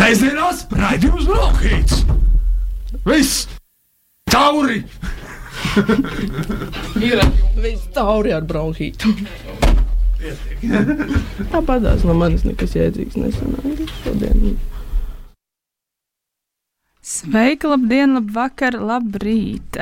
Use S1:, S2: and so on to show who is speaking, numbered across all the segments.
S1: Sēsdienās raidījums Bronhīts. Viss tauri.
S2: Viss tauri ar bronhītu. Tāpatās no manis nekas jēdzīgs nesanāja šodien.
S3: Sveiki, labdien, labvakar, labrīt!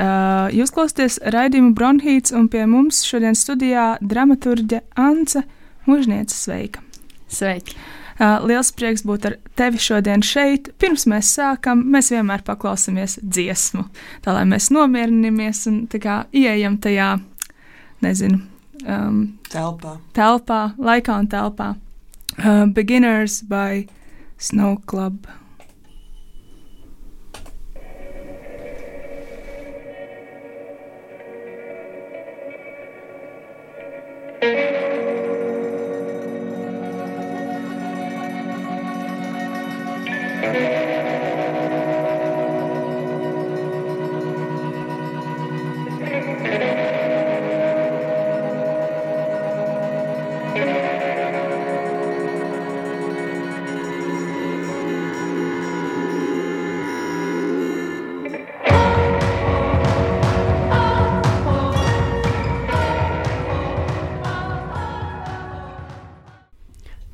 S3: Jūs klausāties raidījumu Bronhīts, un pie mums šodien studijā dramaturģe Ance Mužniece. Sveika!
S4: Sveiki!
S3: Liels prieks būt ar tevi šodien šeit. Pirms mēs sākam, mēs vienmēr paklausāmies dziesmu, tā lai mēs nomierinamies un tā kā ieejam tajā, nezinu, telpā, laikā un telpā. Beginners by Snow Club.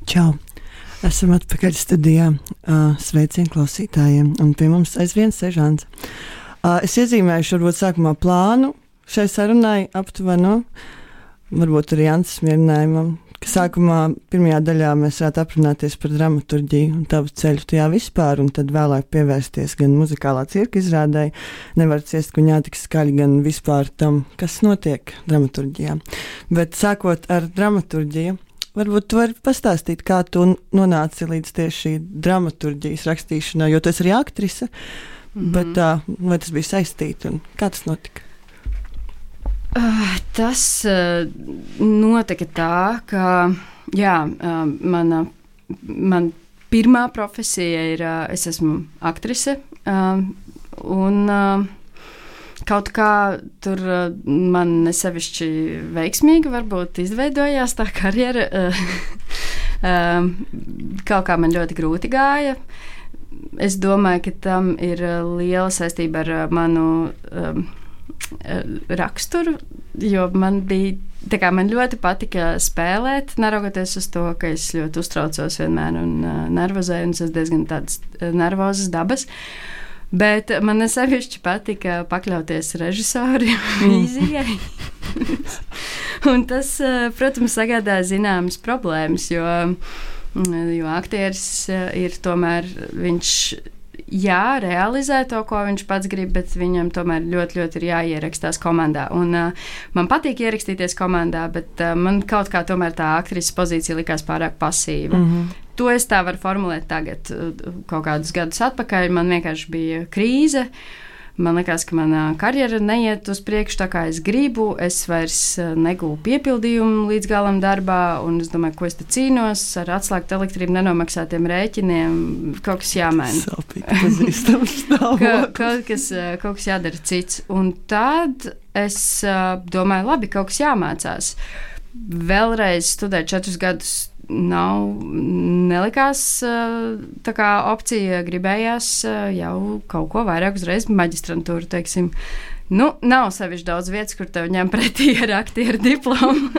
S5: Čau! Esam atpakaļ studijā. Sveicien klausītājiem. Un pie mums aizvien sežāns. Es iezīmējuši varbūt sākumā plānu šai sarunai aptuveno, varbūt arī Ances mierinājumam, ka sākumā pirmajā daļā mēs varētu aprunāties par dramaturģiju un tavu ceļu tajā vispār, un tad vēlāk pievērsties gan muzikālā cirka izrādai, nevar ciest kuņā tik skaļi, gan vispār tam, kas notiek dramaturģijā. Bet sākot ar dramaturģiju, varbūt tu vari pastāstīt, kā tu nonāci līdz tieši dramaturģijas rakstīšanai, jo tu esi arī aktrise, bet vai tas bija saistīti un kā tas notika?
S4: Tas notika tā, ka man pirmā profesija ir, es esmu aktrise, un kaut kā tur man nesevišķi veikmīgi varbūt izveidojās tā karjera. Kaut kā man ļoti grūti gāja. Es domāju, ka tam ir liela saistība ar manu raksturu, jo man ļoti patika spēlēt, neraugoties uz to, ka es ļoti uztraucos vienmēr un nervozēju, un es esmu diezgan tādas nervozas dabas. Bet man sevišķi patika pakļauties režisori vīzijai. Un tas, protams, sagādāja zināmas problēmas, jo aktieris ir tomēr, viņš realizē to, ko viņš pats grib, bet viņam tomēr ļoti, ļoti ir jāierakstās komandā. Un man patīk ierakstīties komandā, bet man kaut kā tomēr tā aktrises pozīcija likās pārāk pasīva. To es tā varu formulēt tagad, kaut kādus gadus atpakaļ. Man vienkārši bija krīze. Man liekas, ka mana karjera neiet uz priekšu tā, kā es gribu. Es vairs negūlu piepildījumu līdz galam darbā, un es domāju, ko es te cīnos ar atslēgtu elektrību, nenomaksātiem rēķiniem. Kaut kas jāmaina.
S5: Sāpīgi pazīstams stāvoklis.
S4: Kaut kas jādara cits. Un tad es domāju, labi, kaut kas jāmācās. Vēlreiz studēt 4 gadus nelikās tā kā opcija, gribējās jau kaut ko vairāk uzreiz maģistrantūru, teiksim. Nu, nav sevišķi daudz vietas, kur tev ņem pretī ar aktieru diplomu.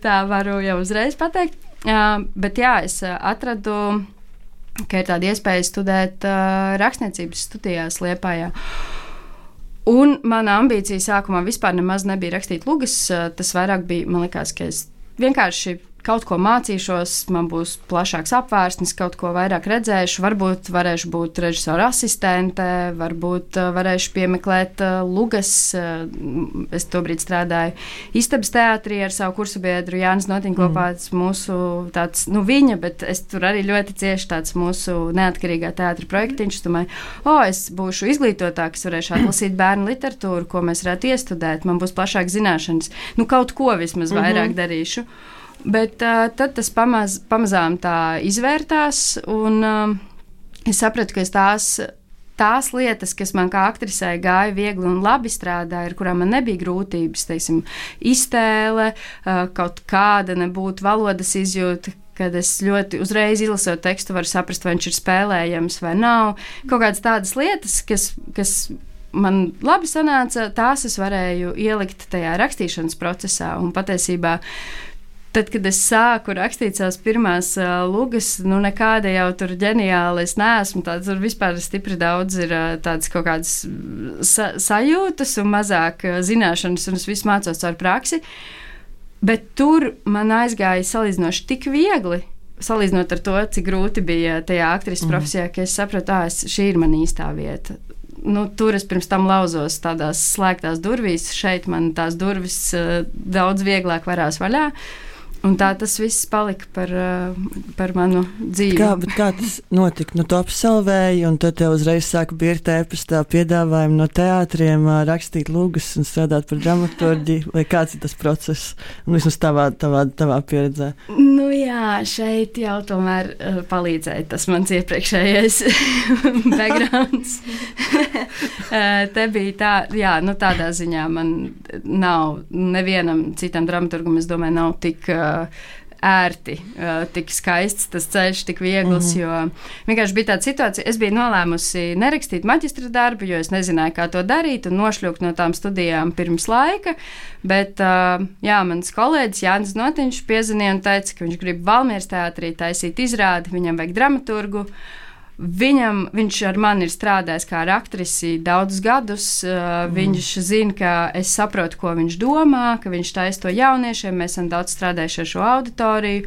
S4: tā varu jau uzreiz pateikt. Bet jā, es atradu, ka ir tāda iespēja studēt rakstniecības studijās Liepājā. Un mana ambīcija sākumā vispār nemaz nebija rakstīt lugas. Tas vairāk bija, man liekas, ka es vienkārši kaut ko mācīšos, man būs plašāks apvārsnis, kaut ko vairāk redzēšu, varbūt varēšu būt režisora asistente, varbūt varēšu piemeklēt lugas. Es tobrīd strādāju Istabas teātrī ar savu kursabiedru Jānis Notiņu kopā, mūsu tāds, viņa, bet es tur arī ļoti cieši tāds mūsu neatkarīgā teātra projektiņš. Domāju, es būšu izglītotāk, es varēšu atlasīt bērnu literatūru, ko mēs varētu iestudēt, man būs plašāk zināšanas, kaut ko vismaz vairāk darīšu. Bet tad tas pamazām tā izvērtās, un es sapratu, ka tās lietas, kas man kā aktrisei gāja viegli un labi strādāja, ar kurām man nebija grūtības, teiksim, iztēle, kaut kāda nebūtu valodas izjūta, kad es ļoti uzreiz izlasot tekstu, varu saprast, vai viņš ir spēlējams vai nav. Kaut kādas tādas lietas, kas man labi sanāca, tās es varēju ielikt tajā rakstīšanas procesā. Un patiesībā, tad, kad es sāku rakstīt savas pirmās lugas, nekāda jau tur ģeniāla es neesmu. Tur vispār stipri daudz ir tādas kaut kādas sajūtas un mazāk zināšanas, un es visu mācos caur praksi. Bet tur man aizgāja salīdzinoši tik viegli, salīdzinot ar to, cik grūti bija tajā aktrises profesijā, ka es sapratu, šī ir mana īstā vieta. Tur es pirms tam lauzos tādās slēgtās durvīs, šeit man tās durvis daudz vieglāk varās vaļā. Un tā tas viss palika par manu dzīvi.
S5: Kā tas notika? Tu absolvēji, un tad tev uzreiz sāka birkt ēpastā piedāvājumi no teātriem, rakstīt lugas un strādāt par dramaturģiju. Vai kāds ir tas process? Vismaz tavā pieredzē.
S4: Jā, šeit jau tomēr palīdzēja tas mans iepriekšējais backgrounds. Te bija tā, tādā ziņā man nav nevienam citam dramaturgam, es domāju, nav tik ērti, tik skaists tas ceļš, tik viegls, jo vienkārši bija tāda situācija, es biju nolēmusi nerakstīt maģistra darbu, jo es nezināju, kā to darīt, un nošļūkt no tām studijām pirms laika, bet, mans kolēģis Jānis Notiņš piezvanīja un teica, ka viņš grib Valmieras teātrī taisīt izrādi, viņam vajag dramaturgu. Viņš ar mani ir strādājis kā ar aktrisi daudzus gadus. Viņš zina, ka es saprotu, ko viņš domā, ka viņš taisa to jauniešiem. Mēs esam daudz strādājuši ar šo auditoriju,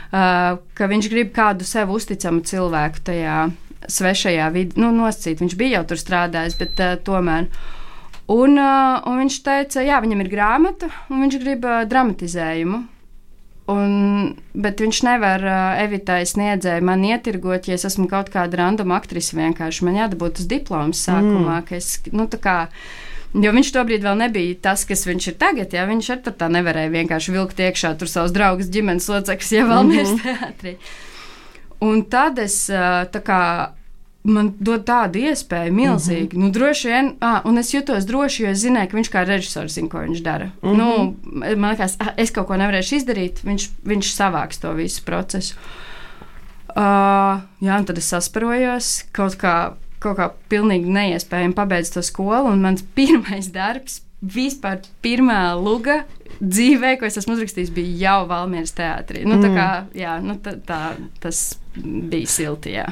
S4: ka viņš grib kādu sev uzticamu cilvēku tajā svešajā vidē, nosacīt. Viņš bija jau tur strādājis, bet tomēr. Un viņš teica, viņam ir grāmata, un viņš grib dramatizējumu. Bet viņš nevar Evitai Sniedzēji man ietirgot, ja es esmu kaut kāda randoma aktrise vienkārši. Man jādabūt uz diplomas sākumā, ka es, jo viņš tobrīd vēl nebija tas, kas viņš ir tagad, viņš ar tā nevarēja vienkārši vilkt iekšā tur savus draugus ģimenes locekļus, Valmieras teātrī. Un tad es man dod tādu iespēju milzīgi. Droši vien, un es jutos droši, jo es zināju, ka viņš kā režisors zina, ko viņš dara. Man liekas, es kaut ko nevarēšu izdarīt, viņš savāks to visu procesu. Un tad es sasparojos, kaut kā pilnīgi neiespējami pabeidzu to skolu, un mans pirmais darbs, vispār pirmā luga dzīvē, ko es esmu uzrakstījis, bija jau Valmieras teātrī. Tas bija silti, jā.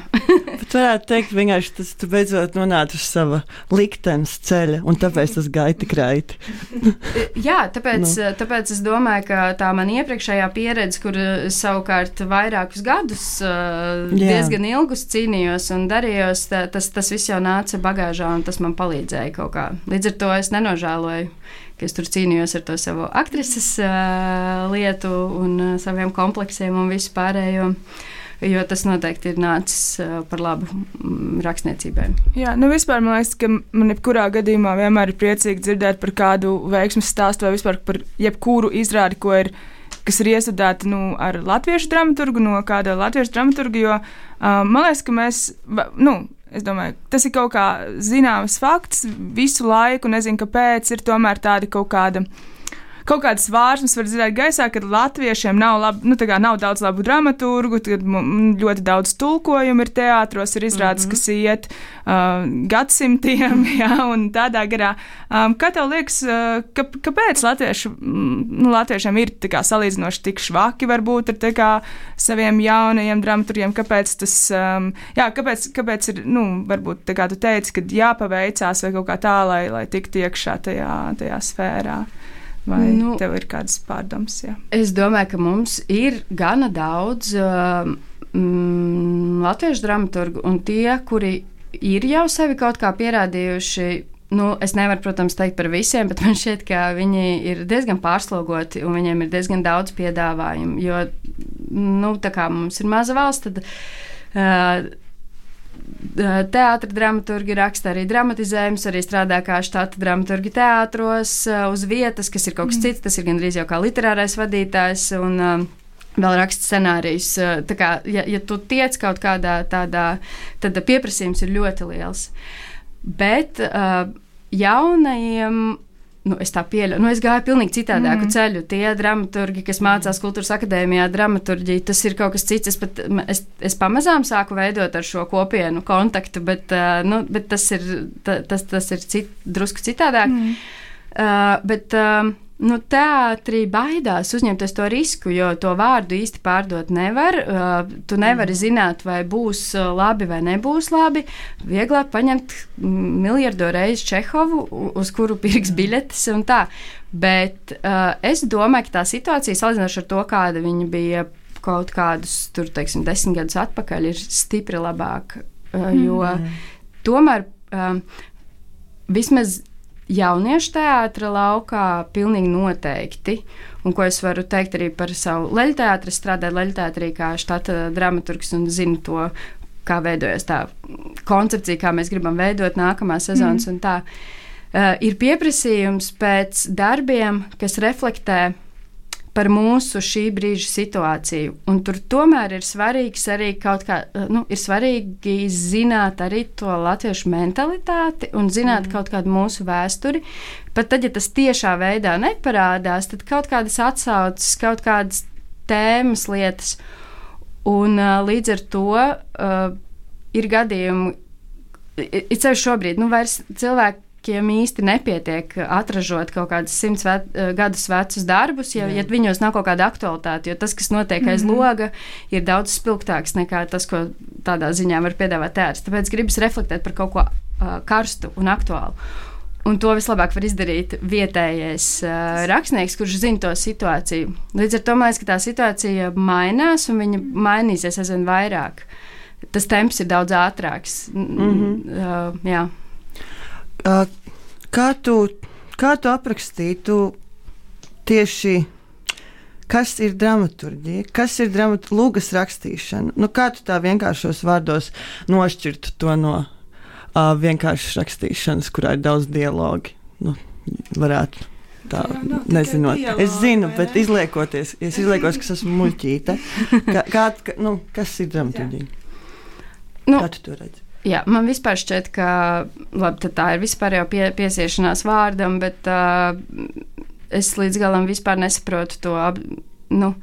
S5: Bet varētu teikt, vienkārši tas tu beidzot nonāci uz sava liktenes ceļa, un tāpēc tas gāja tik raiti.
S4: Jā, tāpēc es domāju, ka tā man iepriekšējā pieredze, kur savukārt vairākus gadus diezgan ilgus cīnījos un darījos, tas viss jau nāca bagāžā, un tas man palīdzēja kaut kā. Līdz ar to es nenožēloju, ka es tur cīnījos ar to savu aktrises lietu un saviem kompleksiem un visu pārējo. Jo tas noteikti ir nācis par labu rakstniecībai.
S3: Jā, vispār man liekas, ka man jebkurā gadījumā vienmēr ir priecīgi dzirdēt par kādu veiksmes stāstu vai vispār par jebkuru izrādi, kas ir iestudēta ar latviešu dramaturgu, no kāda latviešu dramaturga, jo man liekas, ka mēs, es domāju, tas ir kaut kā zināms fakts visu laiku, nezinu, kāpēc ir tomēr tādi kaut kādas vārsmas var dzirdēt gaisā, kad latviešiem nav daudz labu dramaturgu, tad ļoti daudz tulkojumu ir teātros, ir izrādes, kas iet gadsimtiem, un tādā garā. Kā tev liekas, kāpēc latviešiem ir salīdzinoši tik švaki varbūt ar saviem jaunajiem dramaturgiem, kāpēc tas, kāpēc ir, varbūt tā kā tu teici, kad jāpaveicās vai kaut kā tā, lai tiktu iekšā tajā sfērā? Vai tev ir kādas pārdomas? Jā?
S4: Es domāju, ka mums ir gana daudz latviešu dramaturgu, un tie, kuri ir jau sevi kaut kā pierādījuši, es nevaru, protams, teikt par visiem, bet man šķiet, ka viņi ir diezgan pārslogoti, un viņiem ir diezgan daudz piedāvājumu, jo, tā kā mums ir maza valsts, tad teātra dramaturgi raksta arī dramatizējumus, arī strādā kā štata dramaturgi teātros uz vietas, kas ir kaut kas cits, tas ir gandrīz jau kā literārais vadītājs un vēl raksta scenārijus. Tā kā, ja tu tiec kaut kādā tādā, tad pieprasījums ir ļoti liels. Bet jaunajiem es tā pieļauju, es gāju pilnīgi citādāku ceļu. Tie dramaturgi, kas mācās Kultūras akadēmijā dramaturģiju, tas ir kaut kas cits. Es pamazām sāku veidot ar šo kopienu kontaktu, bet tas ir drusku citādāk. Teātrī baidās uzņemties to risku, jo to vārdu īsti pārdot nevar. Tu nevari zināt, vai būs labi vai nebūs labi. Vieglāk paņemt miljardu reizi Čehovu, uz kuru pirks biļetes un tā. Bet es domāju, ka tā situācija, salīdzinoši ar to, kāda viņa bija kaut kādus, 10 gadus atpakaļ, ir stipri labāka. Jo tomēr vismaz jauniešu teātra laukā pilnīgi noteikti, un ko es varu teikt arī par savu leļteātri, strādāju leļteātrī kā štata dramaturgs un zinu to, kā veidojas tā koncepcija, kā mēs gribam veidot nākamās sezonas un tā. Ir pieprasījums pēc darbiem, kas reflektē par mūsu šī brīža situāciju. Un tur tomēr ir svarīgs arī kaut kā, ir svarīgi zināt arī to latviešu mentalitāti un zināt kaut kādu mūsu vēsturi. Pat tad, ja tas tiešā veidā neparādās, tad kaut kādas atsauces, kaut kādas tēmas lietas. Un līdz ar to ir gadījumi, it sevišķi šobrīd, vairs cilvēki, īsti nepietiek atražot kaut kādus 100 gadus vecus darbus, ja viņos nav kaut kāda aktualitāte, jo tas, kas notiek aiz loga, ir daudz spilgtāks nekā tas, ko tādā ziņā var piedāvāt teātris. Tāpēc gribas reflektēt par kaut ko karstu un aktuālu. Un to vislabāk var izdarīt vietējais rakstnieks, kurš zina to situāciju. Līdz ar to man liekas, ka tā situācija mainās un viņa mainīsies aizvien vairāk. Tas temps ir daudz ātrāks. Jā.
S5: Kā tu aprakstītu tieši, kas ir dramaturģija, kas ir lūgas rakstīšana? Kā tu tā vienkāršos vārdos nošķirtu to no vienkāršas rakstīšanas, kurā ir daudz dialogi? Varētu tā, nezinot. Dialogi, es zinu, bet izliekoties, ka es esmu muļķīte. Kas ir dramaturģija? Kā tu to redzi?
S4: Jā, man vispār šķiet, ka tā ir vispār jau piesiešanās vārdam, bet es līdz galam vispār nesaprotu to, no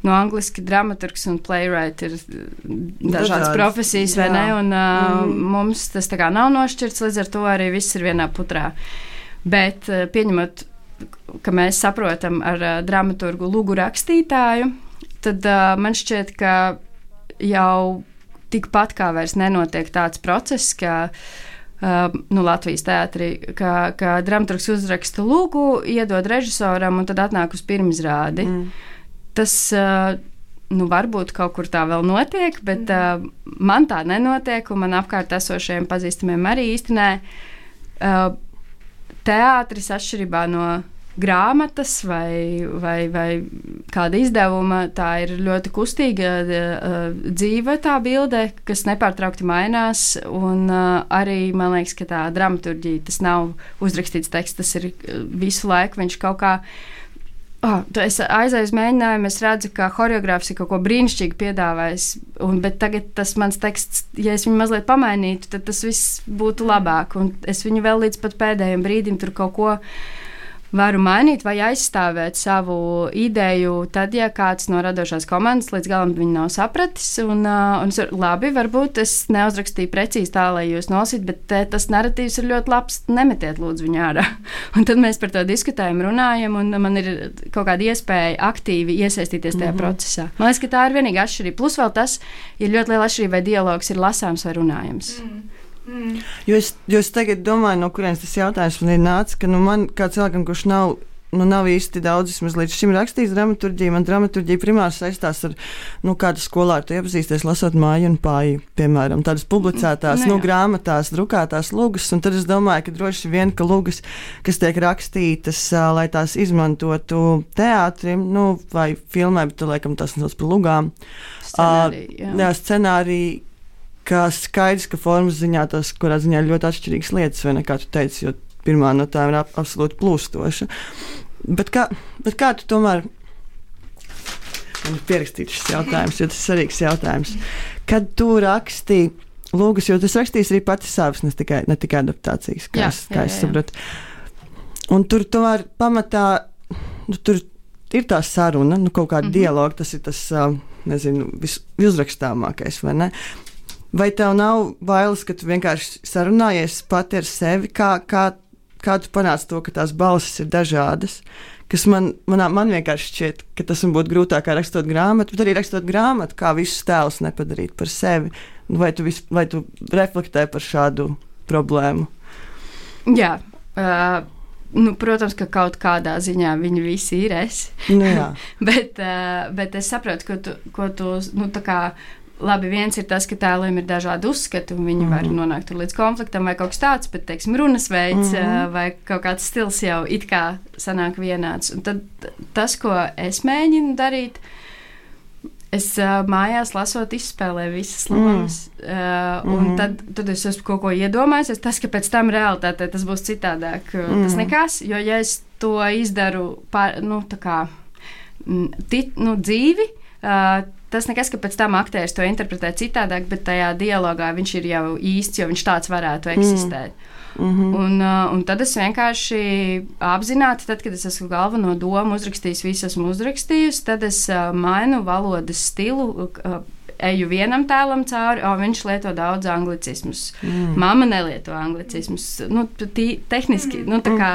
S4: angliski dramaturgs un playwright ir dažādas profesijas, vai ne, un mums tas tā kā nav nošķirts, līdz ar to arī viss ir vienā putrā. Bet pieņemot, ka mēs saprotam ar dramaturgu lūgu rakstītāju, tad man šķiet, ka jau tikpat kā vairs nenotiek tāds process, ka Latvijas teātrī, ka dramaturgs uzraksta lūgu, iedod režisoram un tad atnāk uz pirmizrādi. Tas varbūt kaut kur tā vēl notiek, bet man tā nenotiek, un man apkārt esošajiem pazīstamiem arī īsti nē. Teātris atšķirībā no grāmatas vai kāda izdevuma, tā ir ļoti kustīga, dzīva tā bilde, kas nepārtraukti mainās, un arī, man liekas, ka tā dramaturģija, tas nav uzrakstīts teksts, tas ir visu laiku, viņš kaut kā, es aizēju uz mēģinājumu, es redzu, ka horeogrāfs ir kaut ko brīnišķīgi piedāvājis, bet tagad tas mans teksts, ja es viņu mazliet pamainītu, tad tas viss būtu labāk, un es viņu vēl līdz pat pēdējiem brīdim tur kaut ko varu mainīt vai aizstāvēt savu ideju, tad, ja kāds no radošās komandas līdz galam viņu nav sapratis, un labi, varbūt es neuzrakstīju precīzi tā, lai jūs nolasītu, bet tas narratīvs ir ļoti labs, nemetiet lūdzu viņu ārā. Un tad mēs par to diskutējam, runājam, un man ir kaut kāda iespēja aktīvi iesaistīties tajā procesā. Man liekas, ka tā ir vienīga atšķirība. Plus vēl tas ir ļoti liela atšķirība, vai dialogs ir lasāms vai runājams.
S5: Jo es tagad domāju, no kurienes tas jautājums man ir nācis, ka man kā cilvēkam, kurš nav īsti daudz līdz šim rakstījis dramaturģiju, man dramaturģija primāri saistās ar, kādu skolā tu iepazīsties, lasot Māju un Pāju, piemēram, tādas publicētās, grāmatās, drukātās lūgas, un tad es domāju, ka droši vien, ka lūgas, kas tiek rakstītas, lai tās izmantotu teātrim, vai filmē, bet laikam tās nesauc par lūgām. Scenāriji, ka skaidrs, ka formas ziņā tas, kurā ziņā ir ļoti atšķirīgas lietas, vai ne, kā tu teici, jo pirmā no tām ir absolūti plūstoša. Bet kā tu tomēr, man ir pierakstīts šis jautājums, jo tas ir svarīgs jautājums, kad tu raksti lūgas, jo tas rakstīs arī pati savas, ne tikai adaptācijas, kā es saprotu. Un tur tomēr pamatā, tur ir tā saruna, kaut kāda dialoga, tas ir tas, nezinu, visuzrakstāmākais, vai ne? Vai tev nav bailes, ka tu vienkārši sarunājies pati ar sevi, kā tu panāc to, ka tās balsis ir dažādas, kas man vienkārši šķiet, ka tas man būtu grūtāk kā rakstot grāmatu, bet arī rakstot grāmatu, kā visus tēlus nepadarīt par sevi. Vai tu reflektē par šādu problēmu?
S4: Jā, protams, ka kaut kādā ziņā viņi visi ir es.
S5: Jā.
S4: bet es saprotu, ko tu tā kā. Labi, viens ir tas, ka tēliem ir dažādi uzskati, un viņi var nonākt līdz konfliktam vai kaut kas tāds, bet, teiksim, runas veids vai kaut kāds stils jau it kā sanāk vienāds. Un tad tas, ko es mēģinu darīt, es mājās lasot izspēlēju visas lomas, un tad es esmu kaut ko iedomājies, tas, ka pēc tam realitātē tas būs citādāk, tas nekas, jo ja es to izdaru dzīvi, tas nekas, ka pēc tam aktieris to interpretē citādāk, bet tajā dialogā viņš ir jau īsts, jo viņš tāds varētu eksistēt. Un tad es vienkārši apzināti, tad, kad es esmu galveno domu uzrakstījis, visu esmu uzrakstījusi, tad es mainu valodas stilu, eju vienam tēlam cauri, viņš lieto daudz anglicismus. Mamma nelieto anglicismus. Tehniski, tā kā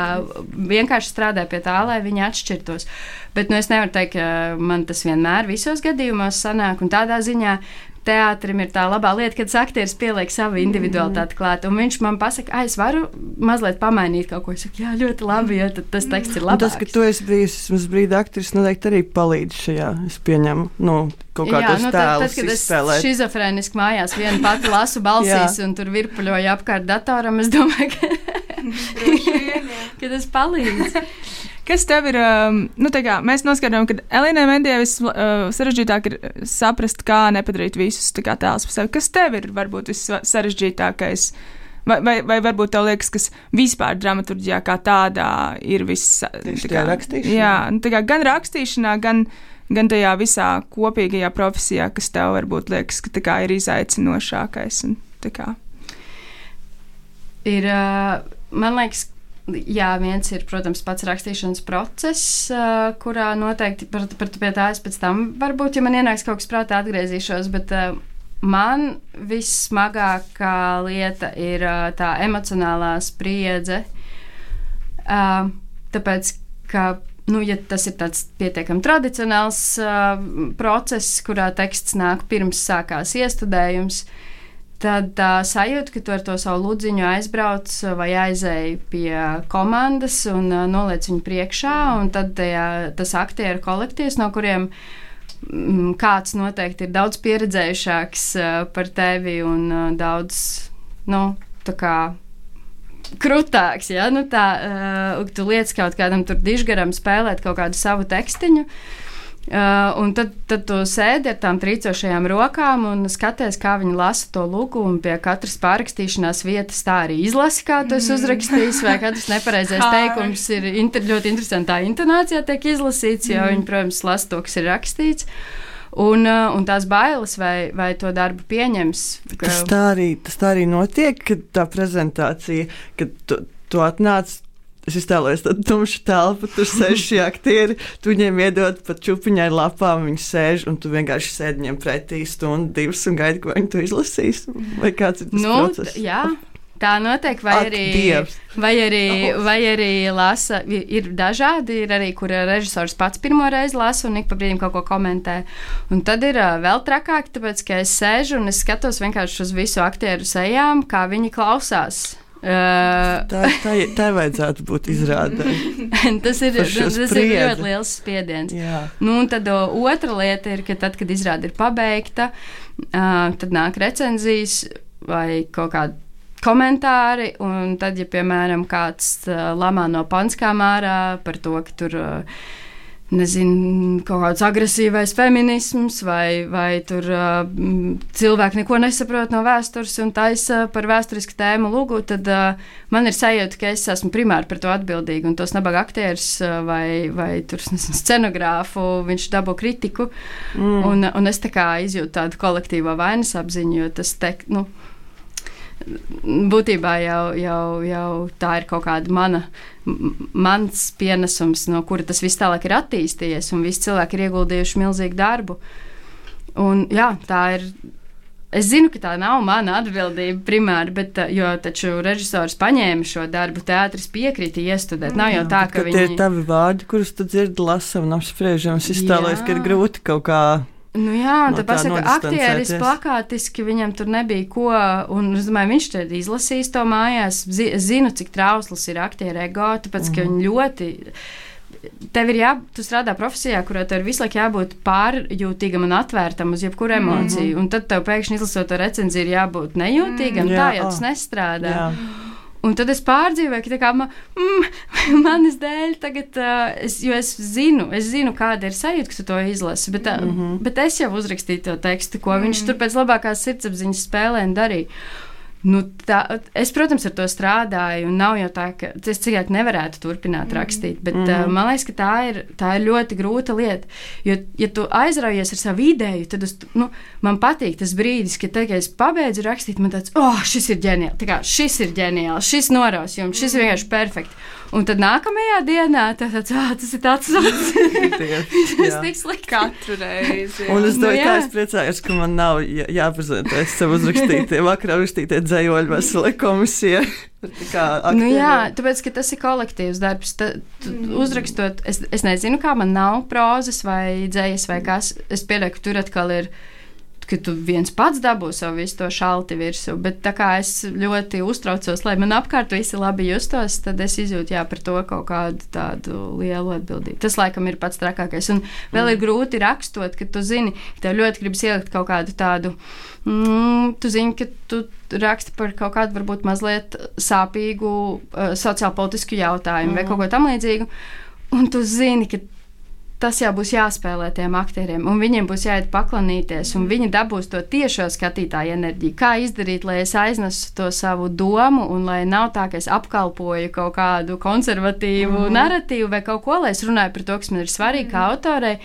S4: vienkārši strādā pie tā, lai viņi atšķirtos. Bet es nevaru teikt, ka man tas vienmēr visos gadījumos sanāk, un tādā ziņā teātrim ir tā labā lieta, kad aktieris pieliek savu individualitāti klāt, un viņš man pasaka, es varu mazliet pamainīt kaut ko. Es saku, jā, ļoti labi, jo tas teksts ir labāks.
S5: Un tas, ka tu esi bijis uz brīdi aktieris, noteikti arī palīdz šajā, es pieņemu, kaut kādos tēlus izspēlēt.
S4: Tad, kad es šizofrēniski mājās viena pati lasu balsīs un tur virpuļoju apkārt datoram, es domāju, ka tas palīdz.
S3: Kas tev ir, mēs noskaidrojam, ka Elīnai Mendijai sarežģītāk ir saprast, kā nepadarīt visus tēlus par sevi. Kas tev ir varbūt vissarežģītākais? Vai varbūt tev liekas, kas vispār dramaturģijā kā tādā ir
S5: rakstīšanā?
S3: Jā, gan rakstīšanā, gan tajā visā kopīgajā profesijā, kas tev varbūt liekas, ka ir izaicinošākais.
S4: Ir, man liekas, jā, viens ir, protams, pats rakstīšanas process, kurā noteikti pie tā es pēc tam varbūt, ja man ienāks kaut kas prātā, atgriezīšos, bet man vissmagākā lieta ir tā emocionālā spriedze, tāpēc, ka, ja tas ir tāds pietiekami tradicionāls process, kurā teksts nāk pirms sākās iestudējums, tad sajūta, ka tu ar to savu ludziņu aizbrauc vai aizēji pie komandas un noliec viņu priekšā, un tad tas aktieru kolektīvs, no kuriem kāds noteikti ir daudz pieredzējušāks par tevi un daudz, tā kā krutāks, ja? Tu liec kaut kādam tur dižgaram spēlēt kaut kādu savu tekstiņu, un tad tu sēdi ar tām trīcošajām rokām un skaties, kā viņi lasa to lugu, un pie katras pārrakstīšanās vietas tā arī izlasi, kā tu esi uzrakstījis, vai katrs nepareizais teikums ir ļoti interesantā intonācijā tiek izlasīts, jo viņi, protams, lasa to, kas ir rakstīts. Un tās bailes, vai to darbu pieņems.
S5: Tas tā arī notiek, kad tā prezentācija, kad tu atnāc. Es iztēlojos tādu tumšu telpu, tur sēž šie aktieri, tu viņiem iedod pat čupiņai lapām, viņi sēž, un tu vienkārši sēdi viņiem pretī stundu, divas un gaidi, ko viņi to izlasīs. Vai kāds ir tas process?
S4: Jā, tā notiek, vai arī lasa, ir dažādi, ir arī, kur režisors pats pirmo reizi lasa un ik pa brīdim kaut ko komentē. Un tad ir vēl trakāk, tāpēc, ka es sēžu un es skatos vienkārši uz visu aktieru sejām, kā viņi klausās.
S5: Tā vajadzētu būt izrādē.
S4: Tas ir ļoti liels spiediens. Un tad otra lieta ir, ka tad, kad izrāde ir pabeigta, tad nāk recenzijas vai kaut kādi komentāri, un tad, ja, piemēram, kāds lamā no panskām ārā par to, ka tur kaut kāds agresīvais feminisms vai tur cilvēki neko nesaprot no vēstures un taisa par vēsturisku tēmu lugu, tad man ir sajūta, ka es esmu primāri par to atbildīga, un tos nabaga aktieris vai tur scenogrāfu, viņš dabū kritiku, un es tā kā izjūtu tādu kolektīvo vainas apziņu, jo tas būtībā jau tā ir kaut kāda mans pienesums, no kura tas viss tālāk ir attīstījies, un visi cilvēki ir ieguldījuši milzīgu darbu. Un jā, tā ir. Es zinu, ka tā nav mana atbildība primāri, bet, jo taču režisors paņēma šo darbu, teātris piekrita iestudēt. Nav jau tā, ka viņi...
S5: Tie ir tavi vārdi, kurus tu dzirdi, lasa un apspriežam. Es iztēlojos, ka ir grūti kaut kā...
S4: Nu jā, un tā pasaka, aktieris plakātiski, viņam tur nebija ko, un es domāju, viņš te izlasīs to mājās. Es zinu, cik trausls ir aktiera ego, tāpēc, ka viņi ļoti... Tev ir tu strādā profesijā, kurā tev ir visu laiku jābūt pārjūtīgam un atvērtam uz jebkuru emociju, un tad tev pēkšņi izlasot to recenziju ir jābūt nejūtīgam, tā jau tas nestrādā. Jā. Un tad es pārdzīvoju, ka tā kā manis dēļ tagad, jo es zinu, kāda ir sajūta, ka tu to izlasi, bet es jau uzrakstīju to tekstu, ko viņš tur pēc labākās sirdsapziņas spēlēm darīja. Nu, es, protams, ar to strādāju, un nav jau tā, ka es cilvēki nevarētu turpināt rakstīt, bet man liekas, ka tā ir ļoti grūta lieta, jo, ja tu aizraujies ar savu ideju, tad man patīk tas brīdis, kad es pabeidzu rakstīt, man tāds, šis ir ģeniāls, šis noraus jums, šis ir vienkārši perfekti. Un tad nākamajā dienā tas ir tāds tas tik slikti
S3: katru reizi.
S5: Un es domāju, tā es priecājos, ka man nav jāprezentē savu uzrakstītie, vakarā uzrakstītie dzējoļi veselai komisijai.
S4: Tāpēc, ka tas ir kolektīvs darbs. Uzrakstot, es nezinu, kā man nav prozas vai dzējas vai kas. Es pieļauju, ka tur atkal ir, ka tu viens pats dabū savu visu to šalti virsū, bet tā kā es ļoti uztraucos, lai man apkārt visi labi justos, tad es izjūtu par to kaut kādu tādu lielu atbildību. Tas laikam ir pats trakākais. Un vēl ir grūti rakstot, ka tu zini, ka tev ļoti gribas ielikt kaut kādu tādu, tu zini, ka tu raksti par kaut kādu varbūt mazliet sāpīgu sociālpolitisku jautājumu vai kaut ko tam līdzīgu, un tu zini, ka tas jau būs jāspēlē tiem aktieriem, un viņiem būs jāiet paklanīties, un viņi dabūs to tiešo skatītāju enerģiju. Kā izdarīt, lai es aiznesu to savu domu, un lai nav tā, ka es apkalpoju kaut kādu konservatīvu naratīvu vai kaut ko, lai es runāju par to, kas man ir svarīgi kā autorei,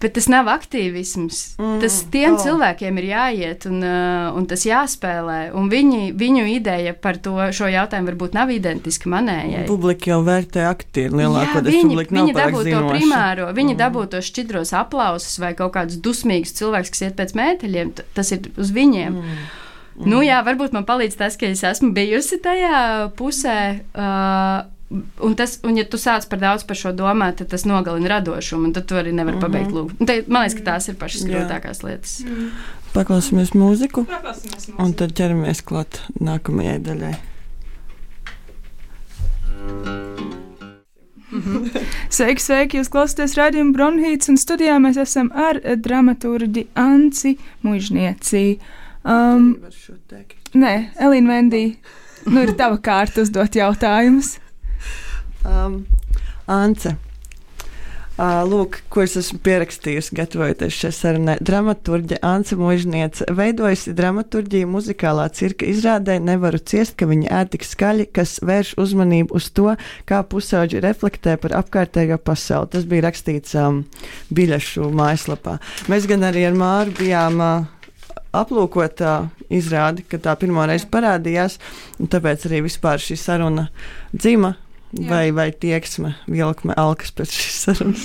S4: bet tas nav aktīvisms. Tas tiem cilvēkiem ir jāiet, un tas jāspēlē, un viņu ideja par šo jautājumu varbūt nav identiska manējai.
S5: Publika jau vērtē aktieri lielākoties, publika nav pārāk zinoša. Viņi dabū to primāro, viņi dabū tos šķidros aplausus vai kaut kādus dusmīgus cilvēkus, kas iet pēc mēteļiem, tas ir uz viņiem. Nu jā, varbūt man palīdz tas, ka es esmu bijusi tajā pusē, un ja tu sāc par daudz par šo domāt, tad tas nogalina radošumu, un tad tu arī nevar pabeigt lūgu. Man liekas, ka tās ir pašas grūtākās lietas. Paklausīsimies mūziku, un tad ķeramies klāt nākamajai daļai.
S3: Sveiki, jūs klausāties raidījumu Bronhīts, un studijā mēs esam ar dramaturģi Anci Muižnieci. Nē, Elīna Vendī, ir tava kārta uzdot jautājumus.
S5: Ance, lūk, ko es esmu pierakstījusi, gatavojoties šai sarunai. Dramaturģe Ance Muižniece veidojusi dramaturģiju muzikālā cirka izrādē Nevaru ciest, ka viņi ēd tik skaļi, kas vērš uzmanību uz to, kā pusauģi reflektē par apkārtējo pasauli. Tas bija rakstīts biļešu mājaslapā. Mēs gan arī ar Māru bijām aplūkot izrādi, kad tā pirmo reizi parādījās, un tāpēc arī vispār šī saruna dzima. Vai tieksme, vilkme, alkas pēc šīs sarunas.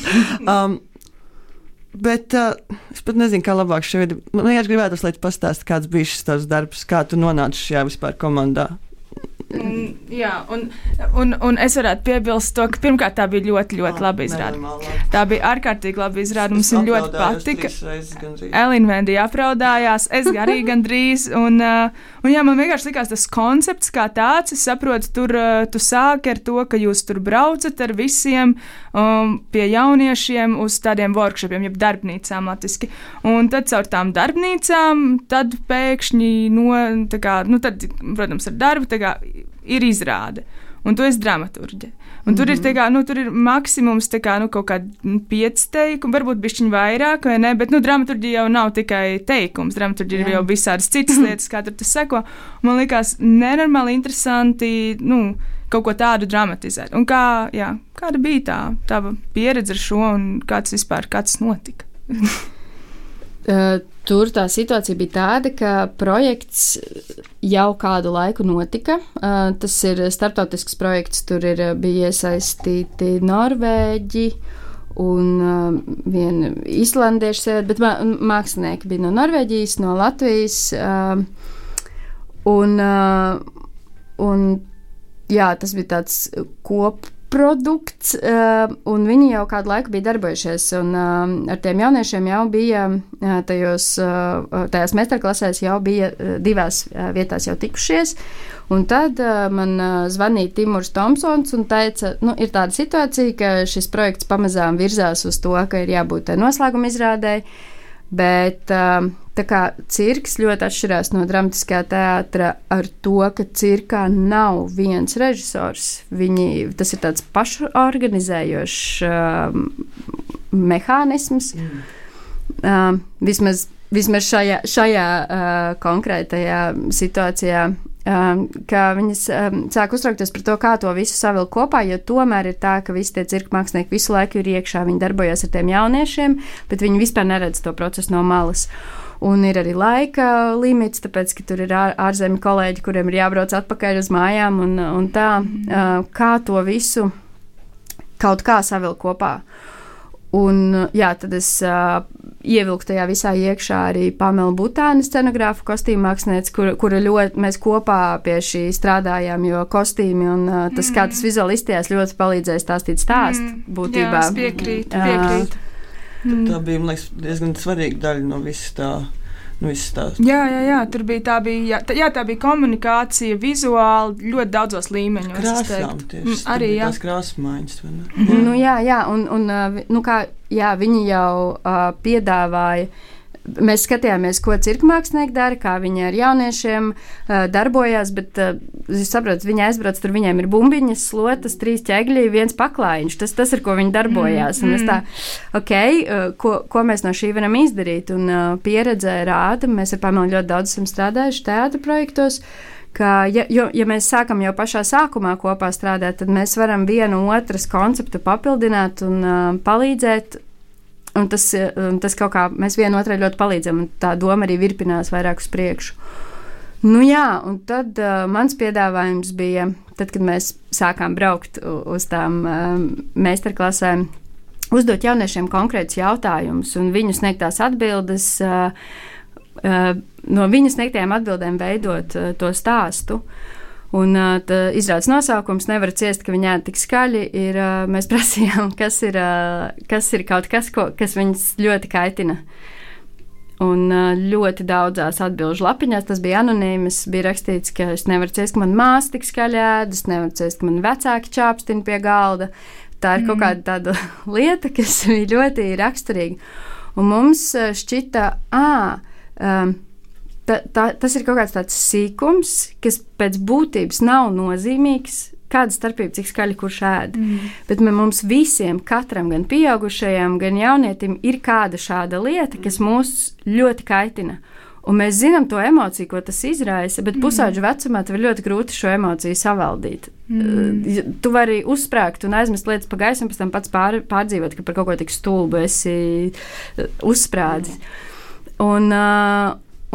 S5: Bet es pat nezinu, kā labāk šeit. Man gribētu, lai tu pastāsti, kāds bija šis tavs darbs, kā tu nonāci šajā vispār komandā.
S3: Jā, un es varētu piebilst to, ka pirmkārt tā bija ļoti, ļoti laba izrāde. Tā bija ārkārtīgi laba izrāde, mums viņa ļoti patika. Elīna Vendī apraudājās, es arī gandrīz, un jā, man vienkārši likās tas koncepts kā tāds, es saprotu, tur tu sāki ar to, ka jūs tur braucat ar visiem pie jauniešiem uz tādiem workshopiem, jeb darbnīcām latviski, un tad caur tām darbnīcām, tad pēkšņi tad, protams, ar darbu, tā kā ir izrāde, un tu esi dramaturģe. Un tur ir, tur ir maksimums kaut kādi 5 teikumi, varbūt bišķiņ vairāk, vai ne, bet dramaturģija jau nav tikai teikums, dramaturģija ir jau visādas citas lietas, kā tur tas seko. Man likās nenormāli interesanti, kaut ko tādu dramatizēt. Un kāda bija tava pieredze ar šo, un kāds notika?
S4: Tur tā situācija bija tāda, ka projekts jau kādu laiku notika. Tas ir starptautisks projekts, tur bija iesaistīti Norvēģi un viena islandiešu sieviete, bet mākslinieki bija no Norvēģijas, no Latvijas. Un jā, tas bija tāds kopprodukts, un viņi jau kādu laiku bija darbojušies, un ar tiem jauniešiem jau bija tajās meistarklasēs jau bija 2 vietās jau tikušies, un tad man zvanīja Timurs Tomsons un teica, ir tāda situācija, ka šis projekts pamazām virzās uz to, ka ir jābūt noslēguma izrādēji, bet tā kā cirks ļoti atšķirās no dramatiskā teātra ar to, ka cirkā nav viens režisors. Tas ir tāds pašorganizējošs mehānisms. Vismaz šajā konkrētajā situācijā, ka viņas sāk uztraukties par to, kā to visu savilkt kopā, jo tomēr ir tā, ka visi tie cirka mākslinieki visu laiku ir iekšā, viņi darbojas ar tiem jauniešiem, bet viņi vispār neredz to procesu no malas. Un ir arī laika limits, tāpēc, ka tur ir ārzemju kolēģi, kuriem ir jābrauc atpakaļ uz mājām un tā, kā to visu kaut kā savilkt kopā. Un jā, tad es ievilku tajā visā iekšā arī Pamela Butāna scenogrāfu, kostīmu mākslinieci, kura ļoti mēs kopā pie šī strādājām, jo kostīmi un tas, kā tas vizuāli izstījās, ļoti palīdzēja stāstīt stāstu būtībā.
S3: Jā, piekrīt.
S5: Tā bija, man liekas, diezgan svarīga daļa no visas tā.
S3: Jā, tur bija tā bija komunikācija vizuāli ļoti daudzos līmeņos.
S5: Krāsām tieši,
S3: arī
S5: tās krāsmaiņas, vai ne?
S4: Jā, viņi jau piedāvāja. Mēs skatījāmies, ko cirka mākslinieki dara, kā viņi ar jauniešiem darbojās, bet jūs saprotat, viņi aizbrauc, tur viņiem ir bumbiņas, slotas, 3 ķegļi, 1 paklājiņš. Tas ir, ko viņi darbojās. Un es tā, ko mēs no šī varam izdarīt? Un pieredze rāda, mēs ar Pamelu ļoti daudz esam strādājuši teātra projektos, ka, ja mēs sākam jau pašā sākumā kopā strādāt, tad mēs varam vienu otras konceptu papildināt un palīdzēt. Un tas kaut kā mēs vienotrai ļoti palīdzam, un tā doma arī virpinās vairāk uz priekšu. Un tad mans piedāvājums bija, tad, kad mēs sākām braukt uz tām meistarklasēm, uzdot jauniešiem konkrētus jautājumus un viņu sniegtās atbildes, no viņu sniegtajām atbildēm veidot to stāstu. Un izrādes nosaukums Nevar ciest, ka viņi ēd tik skaļi, mēs prasījām, kas ir kaut kas, kas viņus ļoti kaitina. Un ļoti daudzās atbilžu lapiņās, tas bija anonīmas, bija rakstīts, ka es nevaru ciest, ka man māsa tik skaļi ēd, es nevaru ciest, ka man vecāki čāpstina pie galda. Tā ir kaut kāda tāda lieta, kas bija ļoti raksturīga. Un mums šķita, tas ir kaut kāds tāds sīkums, kas pēc būtības nav nozīmīgs, kāda starpība, cik skaļi kurš ēd. Bet mums visiem, katram, gan pieaugušajam, gan jaunietim, ir kāda šāda lieta, kas mūs ļoti kaitina. Un mēs zinām to emociju, ko tas izraisa, bet pusauģu vecumā tev ir ļoti grūti šo emociju savaldīt. Tu vari uzsprāgt un aizmest lietas pa gaisu un pēc tam pats pārdzīvot, ka par kaut ko tik stulbu esi uzsprādzis.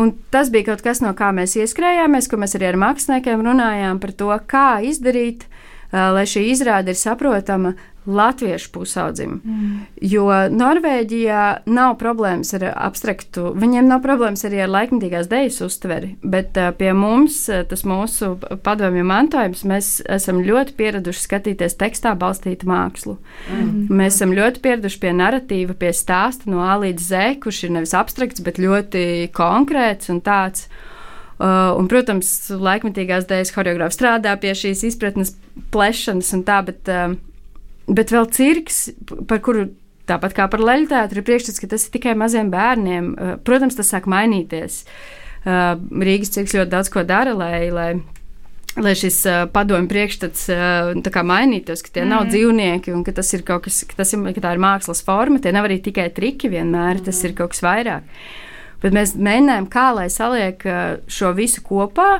S4: Un tas bija kaut kas, no kā mēs ieskrējāmies, ko mēs arī ar māksliniekiem runājām par to, kā izdarīt, lai šī izrāde ir saprotama latviešu pusaudzim. Jo Norvēģijā nav problēmas ar abstraktu, viņiem nav problēmas arī ar laikmetīgās dejas uztveri, bet pie mums, tas mūsu padomju mantojums, mēs esam ļoti pieraduši skatīties tekstā balstītu mākslu. Mēs esam ļoti pieraduši pie naratīva, pie stāsta no A līdz Z, kurš ir nevis abstrakts, bet ļoti konkrēts un tāds. Un, protams, laikmetīgās dejas horeogrāfi strādā pie šīs izpratnes plešanas un tā, bet vēl cirks, par kuru tāpat kā par leļu teātru ir priekšstats, ka tas ir tikai maziem bērniem. Protams, tas sāk mainīties. Rīgas cirks ļoti daudz ko dara, lai šis padomju priekšstats tā kā mainītos, ka tie nav dzīvnieki un ka tas ir kaut kas, ka tā ir mākslas forma, tie nav arī tikai triki vienmēr, tas ir kaut kas vairāk. Bet mēs mēģinājām, kā lai saliek šo visu kopā,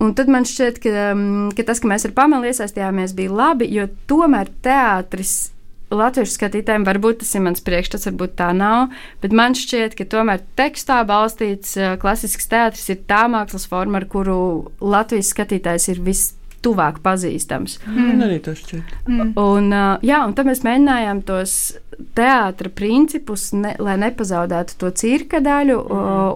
S4: un tad man šķiet, ka tas, ka mēs ar Pamelu iesaistījāmies, bija labi, jo tomēr teātris latviešu skatītājiem, varbūt tas ir mans priekšstats, varbūt tā nav, bet man šķiet, ka tomēr tekstā balstīts klasisks teātris ir tā mākslas forma, ar kuru Latvijas skatītājs ir vistuvāk pazīstams.
S5: Arī tas šķiet.
S4: Un tad mēs mēģinājām tos teātra principus, lai nepazaudētu to cirka daļu,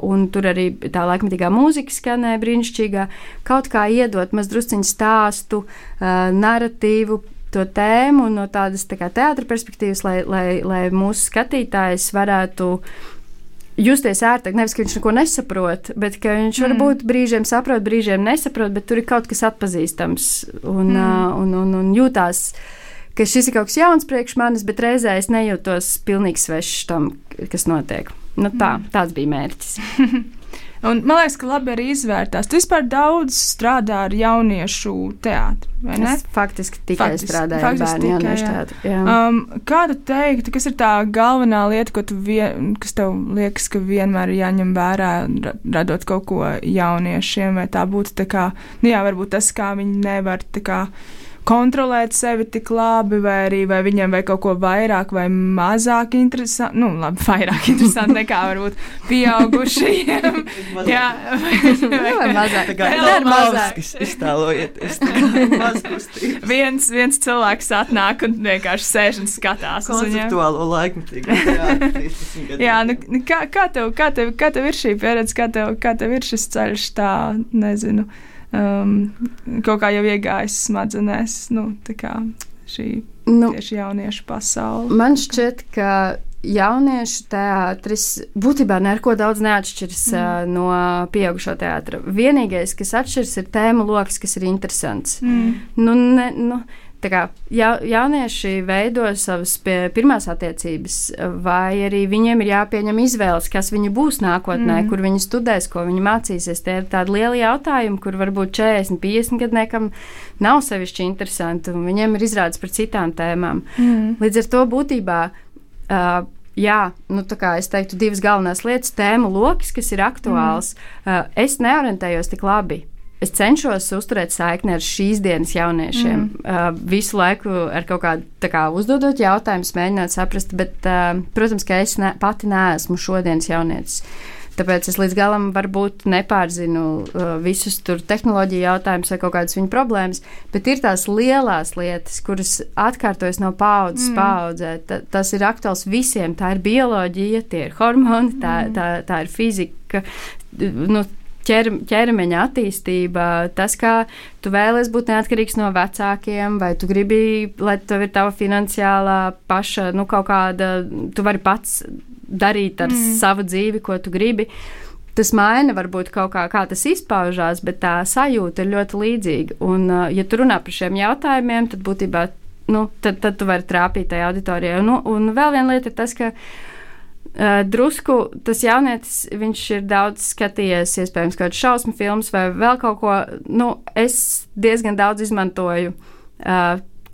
S4: un tur arī tā laikmetīgā mūzika skanēja brīnišķīgā, kaut kā iedot maz drusciņu stāstu, naratīvu, to tēmu no tādas teātra perspektīvas, lai mūsu skatītājs varētu justies ērtāk. Nevis, ka viņš neko nesaprot, bet ka viņš varbūt brīžiem saprot, brīžiem nesaprot, bet tur ir kaut kas atpazīstams un jūtās, ka šis ir kaut kas jauns priekš manis, bet reizē es nejūtos pilnīgi svešs tam, kas notiek. Nu tāds bija mērķis.
S3: Un man liekas, ka labi arī izvērtās. Tu vispār daudz strādā ar jauniešu teātri, vai ne?
S4: Es faktiski tikai strādāju ar bērnu jauniešu teātri.
S3: Kā tu teiktu, kas ir tā galvenā lieta, kas tev liekas, ka vienmēr ir jāņem vērā, radot kaut ko jauniešiem, vai tā būtu tā kā, varbūt tas, kā viņi nevar tā kā kontrolēt sevi tik labi, vai arī vai viņiem vai kaut ko vairāk vai mazāk interesanti, vairāk interesanti nekā varbūt pieaugušajiem.
S4: vai mazāk.
S5: Vēl mazāk. Iztēlojieties.
S3: Viens cilvēks atnāk un vienkārši sēž un skatās.
S5: Konceptuālo laikmetīgu.
S3: Kā tev ir šī pieredze, kā tev ir šis ceļš tā, nezinu, kaut kā jau iegājis smadzenēs, tieši jauniešu pasauli.
S4: Man šķiet, ka jauniešu teātris būtībā neko daudz neatšķiras no pieaugušo teātra. Vienīgais, kas atšķiras, ir tēmu loks, kas ir interesants. Jaunieši veido savas pirmās attiecības, vai arī viņiem ir jāpieņem izvēles, kas viņi būs nākotnē, kur viņi studēs, ko viņi mācīsies. Tie ir tādi lieli jautājumi, kur varbūt 40, 50 gadniekam nav sevišķi interesanti, un viņiem ir izrādes par citām tēmām. Līdz ar to būtībā, es teiktu divas galvenās lietas, tēmu loks, kas ir aktuāls. Es neorientējos tik labi. Es cenšos uzturēt saikni ar šīs dienas jauniešiem. Visu laiku ar kaut kādu uzdodot jautājumus, mēģināt saprast, bet, protams, ka es pati neesmu šodienas jaunietis. Tāpēc es līdz galam varbūt nepārzinu visus tur tehnoloģiju jautājumus vai kaut kādas viņu problēmas, bet ir tās lielās lietas, kuras atkārtojas no paudzes paudzē. Tas ir aktuāls visiem. Tā ir bioloģija, tie ir hormoni, tā ir fizika, ķermeņa attīstība, tas, kā tu vēlies būt neatkarīgs no vecākiem, vai tu gribi, lai tev ir tava finansiālā paša, kaut kāda, tu vari pats darīt ar savu dzīvi, ko tu gribi. Tas maina varbūt kaut kā tas izpaužās, bet tā sajūta ir ļoti līdzīga. Un, ja tu runā par šiem jautājumiem, tad būtībā, tad tu vari trāpīt tajā auditorijā. Un vēl viena lieta ir tas, ka drusku tas jaunietis, viņš ir daudz skatījies, iespējams, kaut kādas šausmu filmas vai vēl kaut ko. Es diezgan daudz izmantoju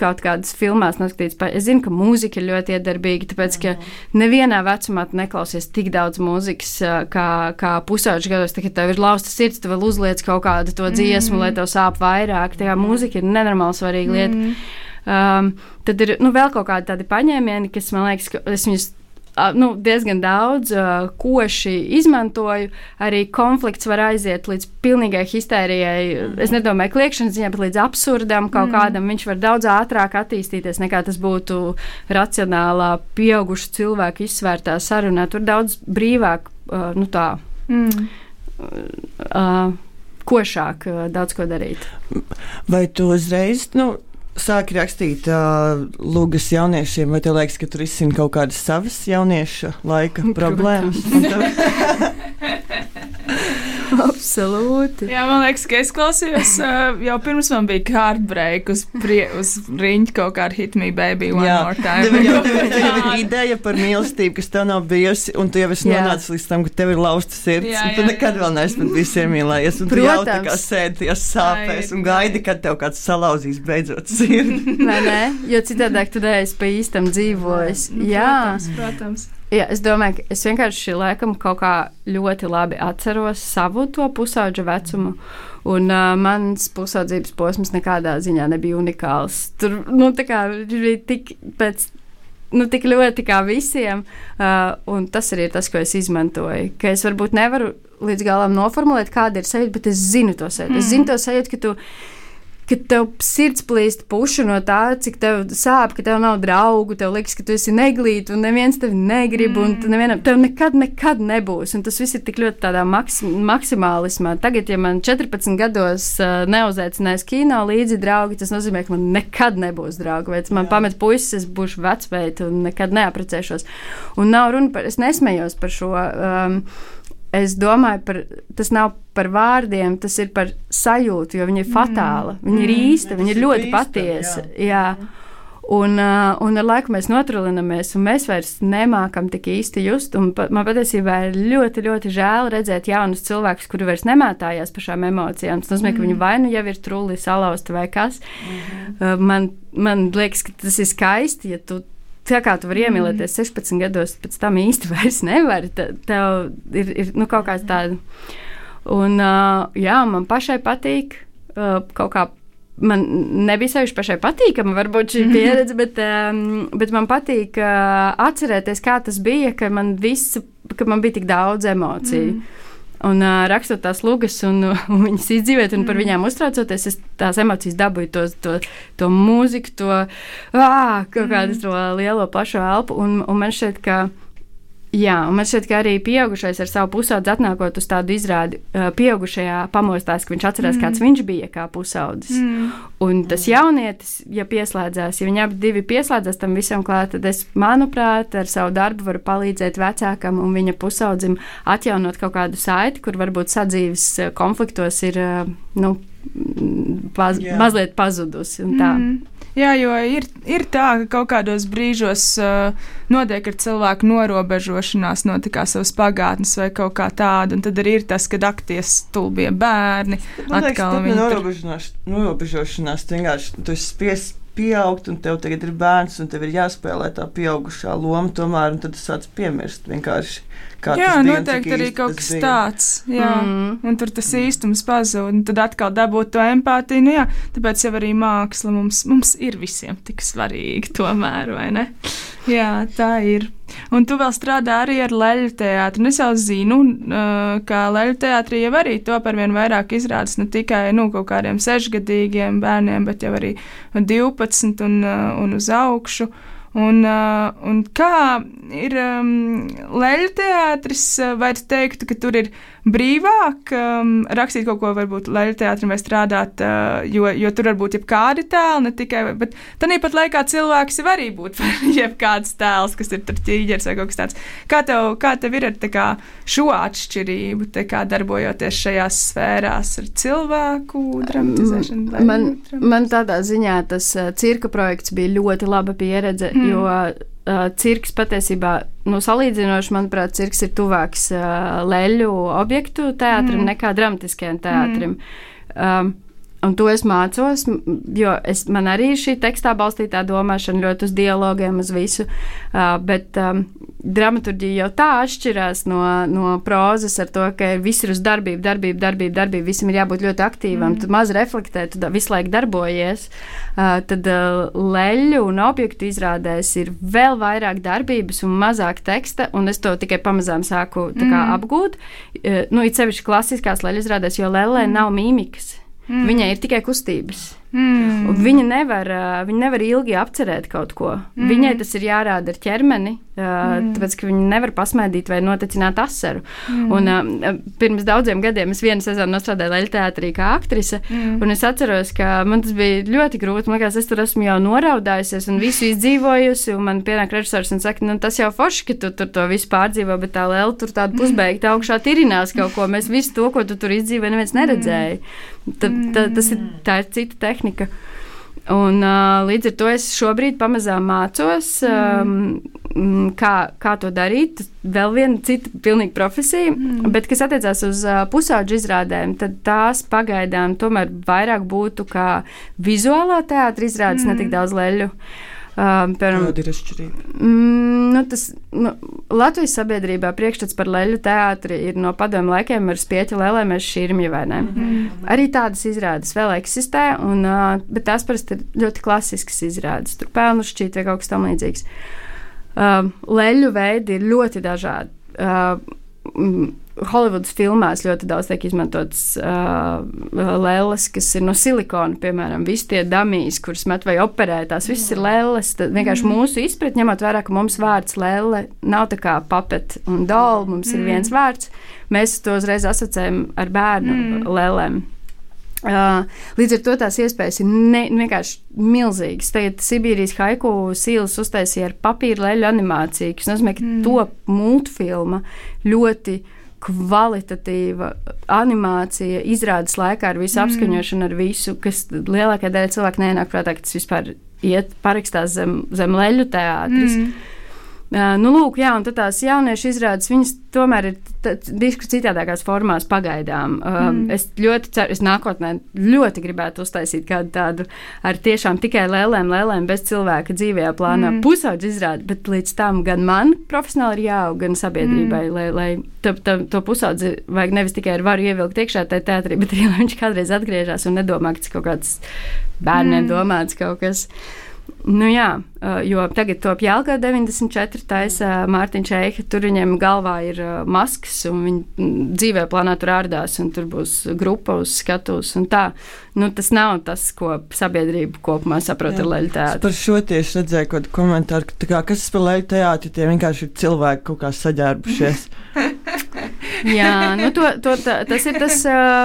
S4: kaut kādas filmās noskatītas. Es zinu, ka mūzika ir ļoti iedarbīga, tāpēc, ka nevienā vecumā tu neklausies tik daudz mūzikas kā pusauģu gados, kad tev ir lausta sirds, tu vēl uzliec kaut kādu to dziesmu, lai tev sāp vairāk. Tā kā mūzika ir nenormāli svarīga lieta. Tad ir vēl kaut kādi tādi paņēmieni, kas man liekas, ka es viņus diezgan daudz koši izmantoju. Arī konflikts var aiziet līdz pilnīgai histērijai. Es nedomāju kliekšanas ziņā, bet līdz absurdam kaut kādam. Viņš var daudz ātrāk attīstīties, nekā tas būtu racionālā pieaugušu cilvēku izsvērtā sarunā. Tur daudz brīvāk, košāk daudz ko darīt.
S5: Vai tu uzreiz, sāki rakstīt lūgas jauniešiem, vai tev liekas, ka tur izsina kaut kādas savas jaunieša laika problēmas?
S4: Absolūti.
S3: Jā, man liekas, ka es klausījos jau pirms man bija heartbreak uz riņķa kaut kā ar Hit Me Baby One More Time.
S5: Tev ir ideja par mīlestību, kas tev nav bijusi, un tu jau esi nonācis līdz tam, ka tev ir lausta sirds, un tu nekad vēl neesi pat bijis iemīlējies, un tu jau tā kā sēdi tajās sāpēs un gaidi, kad tev kāds salauzīs beidzot sirdi.
S4: Vai ne? Jo citādāk tu neesi pa īstam dzīvojis.
S3: Protams.
S4: Jā, es domāju, ka es vienkārši laikam kaut kā ļoti labi atceros savu to pusauģa vecumu, un mans pusaudzības posms nekādā ziņā nebija unikāls. Tur, bija tik pēc tik ļoti kā visiem, un tas arī ir tas, ko es izmantoju. Ka es varbūt nevaru līdz galam noformulēt, kāda ir sajūta, bet es zinu to sajūtu. Es zinu to sajūtu, ka tev sirds plīst pušu no tā, cik tev sāp, ka tev nav draugu, tev liekas, ka tu esi neglīti un neviens tevi negrib, un tev nekad nebūs. Un tas viss ir tik ļoti tādā maksimālismā. Tagad, ja man 14 gados neuzaicinās kino līdzi draugi, tas nozīmē, ka man nekad nebūs draugi. Vai man pamet puisis, es būšu vecmeita un nekad neaprecēšos. Un nav runa par, es nesmējos par šo. Es domāju, tas nav par vārdiem, tas ir par sajūtu, jo viņa ir fatāla, viņa ir īsta, viņa ir ļoti patiesa. Jā. Un ar laiku mēs notrulinamies, un mēs vairs nemākam tik īsti just. Man patiesībā ir ļoti, ļoti žēl redzēt jaunus cilvēkus, kuri vairs nemētājās par šām emocijām. Tas nozīmē, ka viņi vai nu jau ir trulli salausta vai kas. Man liekas, ka tas ir skaisti, ja tu tā kā tu vari iemīlēties 16 gados, pēc tam īsti vairs nevari. Tev ir kaut kāds tāds. Un, man pašai patīk kaut kā. Man nebija sevišķi pašai patīkama, varbūt šī pieredze, bet man patīk atcerēties, kā tas bija, ka man bija tik daudz emociju. Un rakstot tās lugas un viņas izdzīvēt un par viņām uztraucoties, es tās emocijas dabūju to mūziku, kaut kādu to lielo plašo elpu. Un man šķiet, ka arī pieaugušais ar savu pusaudzi atnākot uz tādu izrādi, pieaugušajā pamostās, ka viņš atcerās, kāds viņš bija kā pusaudzis. Un tas jaunietis, ja viņi abi divi pieslēdzās tam visam klāt, tad es, manuprāt, ar savu darbu varu palīdzēt vecākam un viņa pusaudzim atjaunot kaut kādu saiti, kur varbūt sadzīves konfliktos ir, mazliet pazudusi un tā.
S3: Jā, jo ir tā, ka kaut kādos brīžos notiek ar cilvēku norobežošanās no savas pagātnes vai kaut kā tāda, un tad arī ir tas, kad akties stulbie bērni.
S5: Man liekas, pat norobežošanās, tu vienkārši tu esi spiests pieaugt, un tev tagad ir bērns, un tev ir jāspēlē tā pieaugušā loma tomēr, un tad tu sāc piemirst vienkārši.
S3: Jā, noteikti arī kaut kas tāds. Jā, un tur tas īstums pazūd, un tad atkal dabūt to empātiju. Tāpēc jau arī māksla mums ir visiem tik svarīgi tomēr, vai ne? Jā, tā ir. Un tu vēl strādā arī ar leļu teātru. Un es jau zinu, ka leļu teātrī jau arī top ar vien vairāk izrādes ne tikai kaut kādiem 6-gadīgiem bērniem, bet jau arī 12 un uz augšu. Un kā ir leļu teātris, vai tu teiktu, ka tur ir brīvāk rakstīt kaut ko varbūt leļu teātrim vai strādāt, jo tur varbūt jebkādi tēli, ne tikai, bet tāpat laikā cilvēks var arī būt jebkāds tēls, kas ir tur ķīģers vai kaut kas tāds. Kā tev ir ar šo atšķirību, darbojoties šajās sfērās ar cilvēku dramatizēšanu?
S4: Man tādā ziņā tas cirka projekts bija ļoti laba pieredze, jo cirks patiesībā, salīdzinoši, manuprāt, cirks ir tuvāks leļu objektu teātrim nekā dramatiskajam teātrim. Un to es mācos, jo man arī ir šī tekstā balstītā domāšana ļoti uz dialogiem, uz visu, bet dramaturģija jau tā atšķirās no prózas ar to, ka viss ir uz darbību, visam ir jābūt ļoti aktīvam, tu maz reflektē, tu visu laiku darbojies, tad leļu un objektu izrādēs ir vēl vairāk darbības un mazāk teksta, un es to tikai pamazām sāku apgūt, it sevišķi klasiskās leļu izrādēs, jo lellē nav mīmikas. Viņai ir tikai kustības. Viņa nevar ilgi apcerēt kaut ko. Viņai tas ir jārāda ar ķermeni, tāpēc, ka viņa nevar pasmaidīt vai notecināt asaru. Un pirms daudziem gadiem es vienu sezonu nostrādāju leļu teātrī kā aktrise, un es atceros, ka man tas bija ļoti grūti. Man liekas, es tur esmu jau noraudājusies un visu izdzīvojusi, un man pienāk režisors un saka, tas jau forši, ka tu tur to visu pārdzīvo, bet tā lēla tur tāda pusbeigta augšā tirinās kaut ko. Mēs visu to, ko tu tur izdzīvoji, neviens neredzēja. Tā ir cita tehnika. Un līdz ar to es šobrīd pamazām mācos, kā to darīt. Vēl viena cita pilnīgi profesija, bet kas attiecās uz pusaudžu izrādēm, tad tās pagaidām tomēr vairāk būtu kā vizuālā teātra izrādes, ne tik daudz leļu.
S5: Kāda ir atšķirība?
S4: Latvijas sabiedrībā priekšstats par leļu teātri ir no padomju laikiem ar spieķa lēlēm, ar šķirmjuvainēm. Arī tādas izrādes vēl eksistē, bet tās parasti ir ļoti klasiskas izrādes, tur pelnu šķīt vai kaut kas tam līdzīgs. Leļu veidi ir ļoti dažādi. Holivudas filmās ļoti daudz tiek izmantotas lelles, kas ir no silikona, piemēram, visi tie dummies, kurus met vai operē, tās visas ir lelles. Tad vienkārši mūsu izpratne, ņemot vērā, ka mums vārds lelle nav tā kā puppet un doll, mums ir viens vārds, mēs to uzreiz asociējam ar bērnu lellēm. Līdz ar to tās iespējas ir vienkārši milzīgas. Tagad Sibīrijas haiku sīles uztaisīja ar papīra leļu animāciju, kas nozīmē, ka top multfilma ļoti kvalitatīva animācija izrādes laikā ar visu apskaņošanu, ar visu, kas lielākajā daļā cilvēku neienāk prātā, ka tas vispār parakstās zem leļu teātris. Lūk, jā, un tad tās jauniešu izrādes, viņas tomēr ir diezgan citādākās formās pagaidām. Es ļoti ceru, es nākotnē ļoti gribētu uztaisīt kādu tādu ar tiešām tikai lēlēm bez cilvēka dzīvajā plānā pusaudžu izrādi, bet līdz tam gan man profesionāli ir jāaug, gan sabiedrībai, lai to pusaudzi vajag nevis tikai ar varu ievilkt iekšā tajā teātrī, bet arī, lai viņš kādreiz atgriežas un nedomā, ka tas kaut kāds bērniem domāts kaut kas. Jā, jo tagad top Jelgava 94 taisa Mārtiņš Eiha, tur viņiem galvā ir maskas, un viņi dzīvē plānā tur ārdās, un tur būs grupa uz skatuves, un tā. Tas nav tas, ko sabiedrība kopumā saprot ar leļu teātri.
S5: Par šo tieši redzēju kaut komentāru, ka kas par leļu teātri, tie vienkārši ir cilvēki kaut kā saģērbušies.
S4: Jā, tas ir tas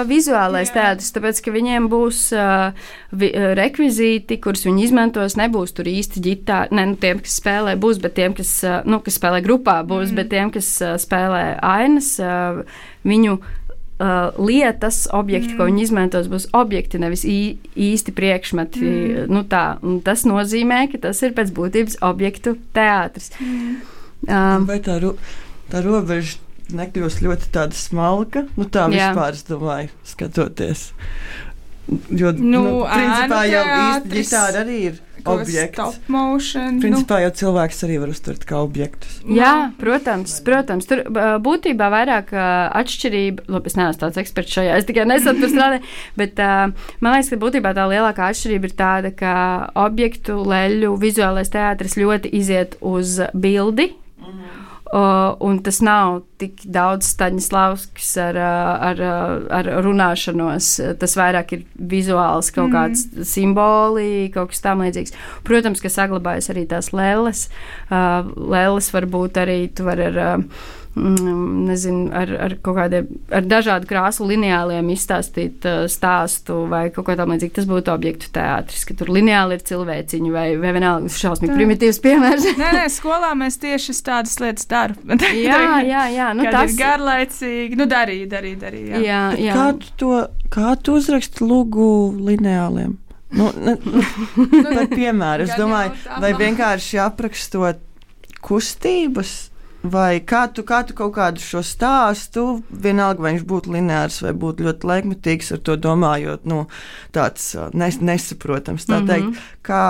S4: vizuālais teātris, tāpēc, ka viņiem būs rekvizīti, kurus viņi izmantos, nebūs tur īsti ģitāri, tiem, kas spēlē, būs, bet tiem, kas spēlē grupā, būs, bet tiem, kas spēlē ainas, viņu lietas, objekti, ko viņi izmantos, būs objekti, nevis īsti priekšmeti. Tas nozīmē, ka tas ir pēc būtības objektu teātris.
S5: Vai tā robeža nekļūst ļoti tāda smalka? Tā vispār, es domāju, skatoties. Jo, principā jau īsti ģitāra arī ir objekts.
S3: Stop motion.
S5: Principā jau cilvēks arī var uztvert kā objektus.
S4: Jā, protams. Tur būtībā vairāk atšķirība, es neesmu tāds eksperts šajā, es tikai nesen tur strādāju, bet man liekas, ka būtībā tā lielākā atšķirība ir tāda, ka objektu leļu vizuālais teātris ļoti iziet uz bildi, un tas nav tik daudz Staņislavskis ar runāšanos. Tas vairāk ir vizuāls kaut kāds simboli, kaut kas tam līdzīgs. Protams, ka saglabājas arī tās lēles. Lēles var būt arī, tu var ar kaut kādiem, ar dažādu krāsu lineāliem izstāstīt stāstu vai kaut kā tam līdzīgi. Tas būtu objektu teātris, ka tur lineāli ir cilvēciņi vai vienalga šausmīgi primitīvs piemērs.
S3: Nē, skolā mēs tieši tādas lietas daru.
S4: Jā.
S3: Tas ir garlaicīgi. Darīja.
S4: Jā.
S5: Kā tu uzraksti lūgu lineāliem? Par piemēru, es domāju, vai vienkārši aprakstot kustības, vai kā tu kaut kādu šo stāstu, vienalga, vai viņš būtu lineārs vai būtu ļoti laikmetīgs, ar to domājot, tāds nesaprotams, tā teikt, kā,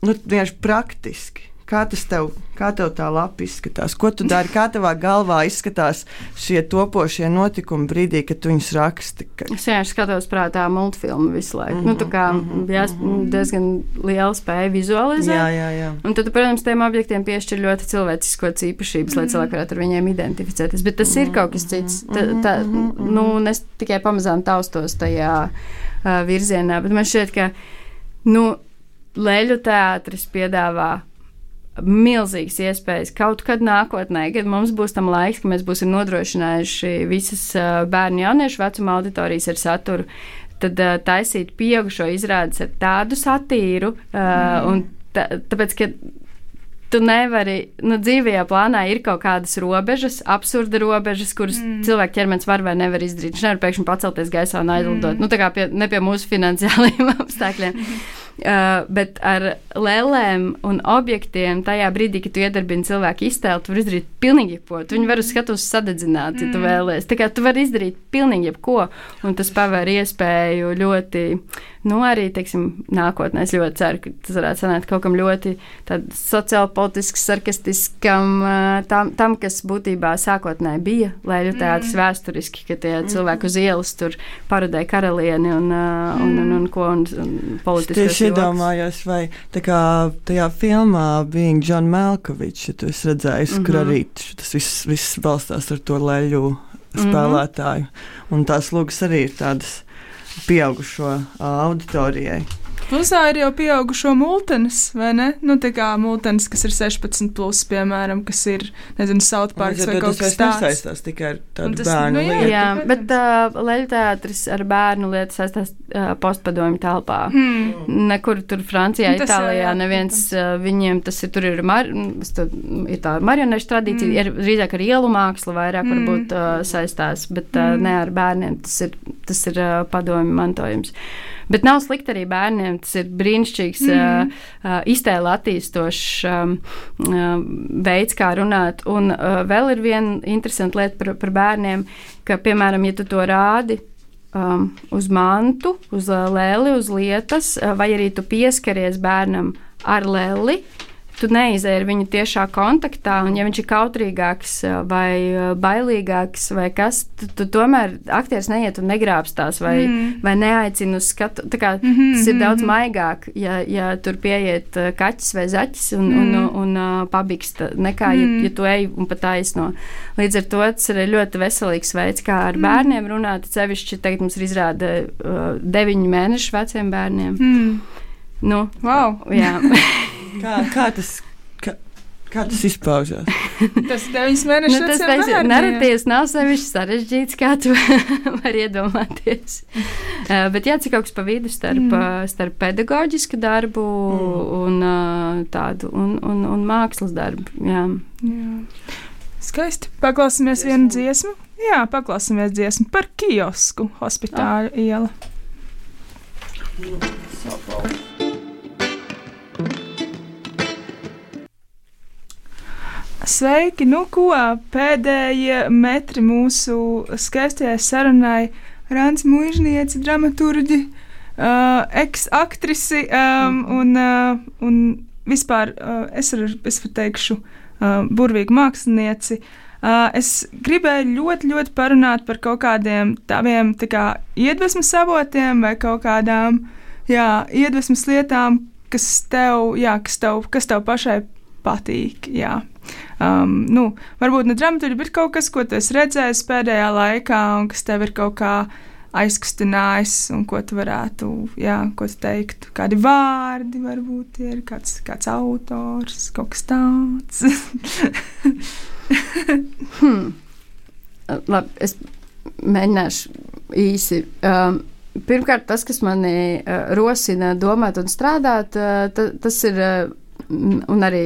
S5: vienkārši praktiski. Kā tev tā lapa izskatās? Ko tu dari? Kā tavā galvā izskatās šie topošie notikumi brīdī, kad tu viņus raksti?
S4: Es vienkārši skatos prātā multfilmu visu laiku. Tā kā diezgan liela spēja vizualizēt.
S5: Jā.
S4: Un tad, protams, tiem objektiem piešķir ļoti cilvēciskos īpašības, lai cilvēki varētu ar viņiem identificēties. Bet tas ir kaut kas cits. Es tikai pamazām taustos tajā virzienā, bet man šķiet, ka leļu teātris piedāvā milzīgas iespējas kaut kad nākotnē, kad mums būs tam laiks, ka mēs būsim nodrošinājuši visas bērnu jauniešu vecuma auditorijas ar saturu, tad taisīt pieaugušo izrādes ar tādu satīru, un tāpēc, ka tu nevari, dzīvajā plānā ir kaut kādas robežas, absurda robežas, kuras cilvēku ķermenis var vai nevar izdarīt. Viņš nevar pēkšņi pacelties gaisā un aizlidot. Tā kā ne pie mūsu finansiālajiem apstākļiem. Bet ar lēlēm un objektiem tajā brīdī, kad tu iedarbini cilvēku iztēli, tu vari izdarīt pilnīgi jebko. Tu viņu var uz skatuves sadedzināt, ja tu vēlies. Tā kā tu vari izdarīt pilnīgi jebko, un tas pavēr iespēju ļoti, arī, teiksim, nākotnē es ļoti ceru, ka tas varētu sanākt kaut kam ļoti sociālpolitiski, sarkastiskam, tam, kas būtībā sākotnēji bija leļu teātris vēsturiski, ka tie cilvēki uz ielas tur parodēja karalieni un politiskos
S5: iedomājos, vai tā kā tajā filmā Being John Malkovich, ja tu esi redzējis, kur arī tas viss balstās ar to leļu spēlētāju. Un tās lūgas arī ir tādas pieaugušo auditorijai.
S3: Plusā ir jau pieaugušo multenes, vai ne? Nu, tā kā multenes, kas ir 16+, piemēram, kas ir, nezinu, South Parks vai kaut kas tāds.
S5: Tas nesaistās tikai ar tādu bērnu lietu.
S4: Jā, bet leļu teātris ar bērnu lietu saistās postpadomju telpā. Nekur tur Francijā, Itālijā neviens viņiem tas ir, tur ir tā marionešu tradīcija, ir drīzāk ar ielu mākslu vairāk varbūt saistās, bet ne ar bērniem, tas ir padomju mantojums. Bet nav slikti arī bērniem, tas ir brīnišķīgs iztēle attīstošs veids, kā runāt. Un vēl ir viena interesanta lieta par bērniem, ka, piemēram, ja tu to rādi uz mantu, uz leli, uz lietas, vai arī tu pieskaries bērnam ar leli, tu neizēji ar viņu tiešā kontaktā, un ja viņš ir kautrīgāks vai bailīgāks vai kas, tu tomēr aktieris neiet un negrābstās vai neaicina uz skatu. Tā kā tas ir daudz maigāk, ja tur pieiet kaķis vai zaķis un pabikst, nekā ja tu ej un pat taisno. Līdz ar to tas ir ļoti veselīgs veids, kā ar bērniem runāt, sevišķi tagad mums ir izrāda 9 mēnešu veciem bērniem. Nu,
S3: wow!
S4: Jā.
S5: Kā tas izpaužās?
S3: Tas 9 mēnešus
S4: tas narratīvs nav sevišķi sarežģīts, kā tu vari iedomāties. Bet jācik kaut kas pa vidu starp pedagoģisku darbu un tādu un mākslas darbu. Jā.
S3: Skaisti. Paklausīsimies vienu dziesmu. Jā, paklausīsimies dziesmu par kiosku Hospitāļu iela. Sveiki, nu ko, pēdējie metri mūsu skaistajai sarunai. Rāns Muižnieci, dramaturģi, ex-aktrisi un vispār es varu teikšu burvīgu mākslinieci. Es gribēju ļoti parunāt par kaut kādiem taviem tā kā iedvesmas avotiem vai kaut kādām iedvesmas lietām, kas tev pašai patīk, jā. Varbūt ne dramaturgi, bet kaut kas, ko tu esi redzējis pēdējā laikā un kas tev ir kaut kā aizkustinājis un ko tu varētu, ko tu teiktu. Kādi vārdi varbūt ir, kāds autors, kaut kas tāds.
S4: Labi, es mēģināšu īsi. Pirmkārt, tas, kas mani rosina domāt un strādāt, tas ir un arī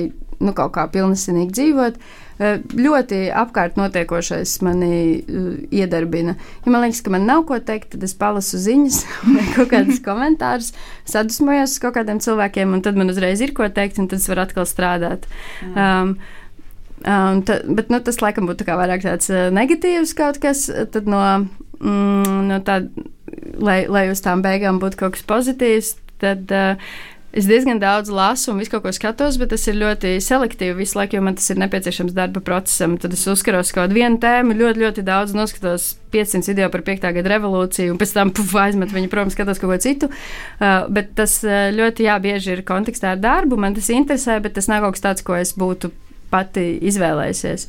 S4: kaut kā pilnesinīgi dzīvot, ļoti apkārt notiekošais mani iedarbina. Ja man liekas, ka man nav ko teikt, tad es palasu ziņas vai kaut kādus komentārus, sadusmojos uz kaut kādiem cilvēkiem, un tad man uzreiz ir ko teikt, un tad es varu atkal strādāt. Bet tas laikam būtu tā kā vairāk tāds negatīvs kaut kas, tad no tā, lai uz tām beigām būtu kaut kas pozitīvs, tad es diezgan daudz lasu un visu kaut ko skatos, bet tas ir ļoti selektīvi visu laiku, jo man tas ir nepieciešams darba procesam. Tad es uzskaros kaut vienu tēmu, ļoti daudz noskatos 500 video par 5. gada revolūciju, un pēc tam aizmet viņu prom, skatos kaut ko citu. Bet tas ļoti bieži ir kontekstā ar darbu, man tas interesē, bet tas nav kaut kas tāds, ko es būtu pati izvēlējusies.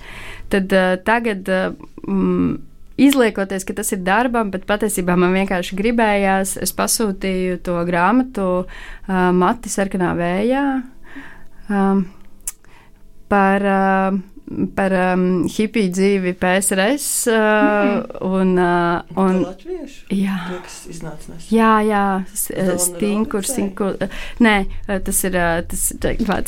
S4: Tad tagad izliekoties, ka tas ir darbam, bet patiesībā man vienkārši gribējās, es pasūtīju to grāmatu Mati sarkanā vējā par hipiju dzīvi PSRS. Un
S5: latviešu?
S4: Jā.
S5: To, kas iznāca nesen.
S4: Jā, Stinkur. Nē, tas ir, tas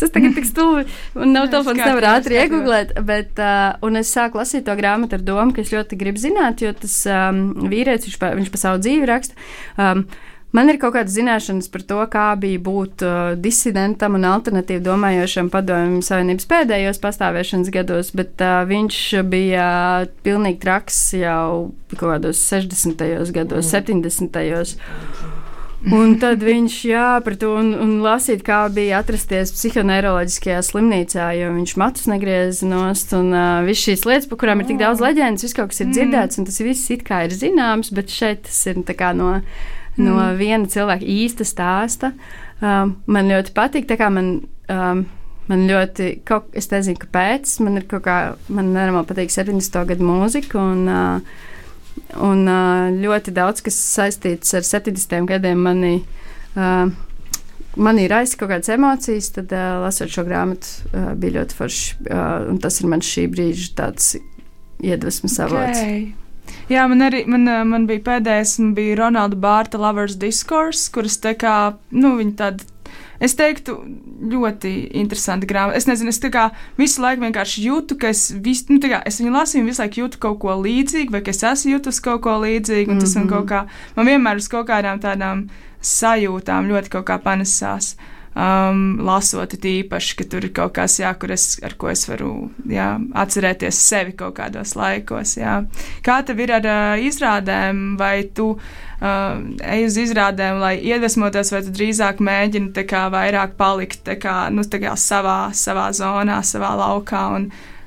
S4: tagad tik stulbi, un nav telefons nevar ātri iegooglēt, bet, un es sāku lasīt to grāmatu ar domu, ka es ļoti gribu zināt, jo tas vīrietis, viņš pa savu dzīvi raksta. Man ir kaut kādas zināšanas par to, kā bija būt disidentam un alternatīvi domājošam Padomju Savienības pēdējos pastāvēšanas gados, bet viņš bija pilnīgi traks jau kaut kādos 60. gados, 70. Un tad viņš, par to un lasīt, kā bija atrasties psihoneiroloģiskajā slimnīcā, jo viņš matus negrieza nost, un viss šīs lietas, par kurām ir tik daudz leģendas, viss kaut kas ir dzirdēts, un tas viss it kā ir zināms, bet šeit tas ir tā kā no no viena cilvēka īsta stāsta. Man ļoti patīk, tā kā man ļoti, es nezinu, kāpēc, man nenormāli patīk 70. gadu mūzika, un ļoti daudz, kas saistīts ar 70. gadiem, manī raisa kaut kādas emocijas, tad lasot šo grāmatu bija ļoti forši, un tas ir man šī brīža tāds iedvesmas avots.
S3: Okay. Jā, man bija pēdējais, bija Ronalda Bārta Lovers Discourse, kuras tā kā, viņa tāda, es teiktu, ļoti interesanti grāmata. Es nezinu, es tā kā visu laiku vienkārši jūtu, ka es viņu lasīju un visu laiku jūtu kaut ko līdzīgu, vai ka es esmu jūtus kaut ko līdzīgu, un tas man vienmēr uz kaut kādām tādām sajūtām ļoti kaut kā panesās. Lasot tīpaši, ka tur ir kaut kas, ar ko es varu atcerēties sevi kaut kādos laikos. Jā. Kā tev ir ar izrādēm, vai tu ej uz izrādēm, lai iedvesmotos, vai tu drīzāk mēģini tā kā vairāk palikt tā kā savā zonā, savā laukā,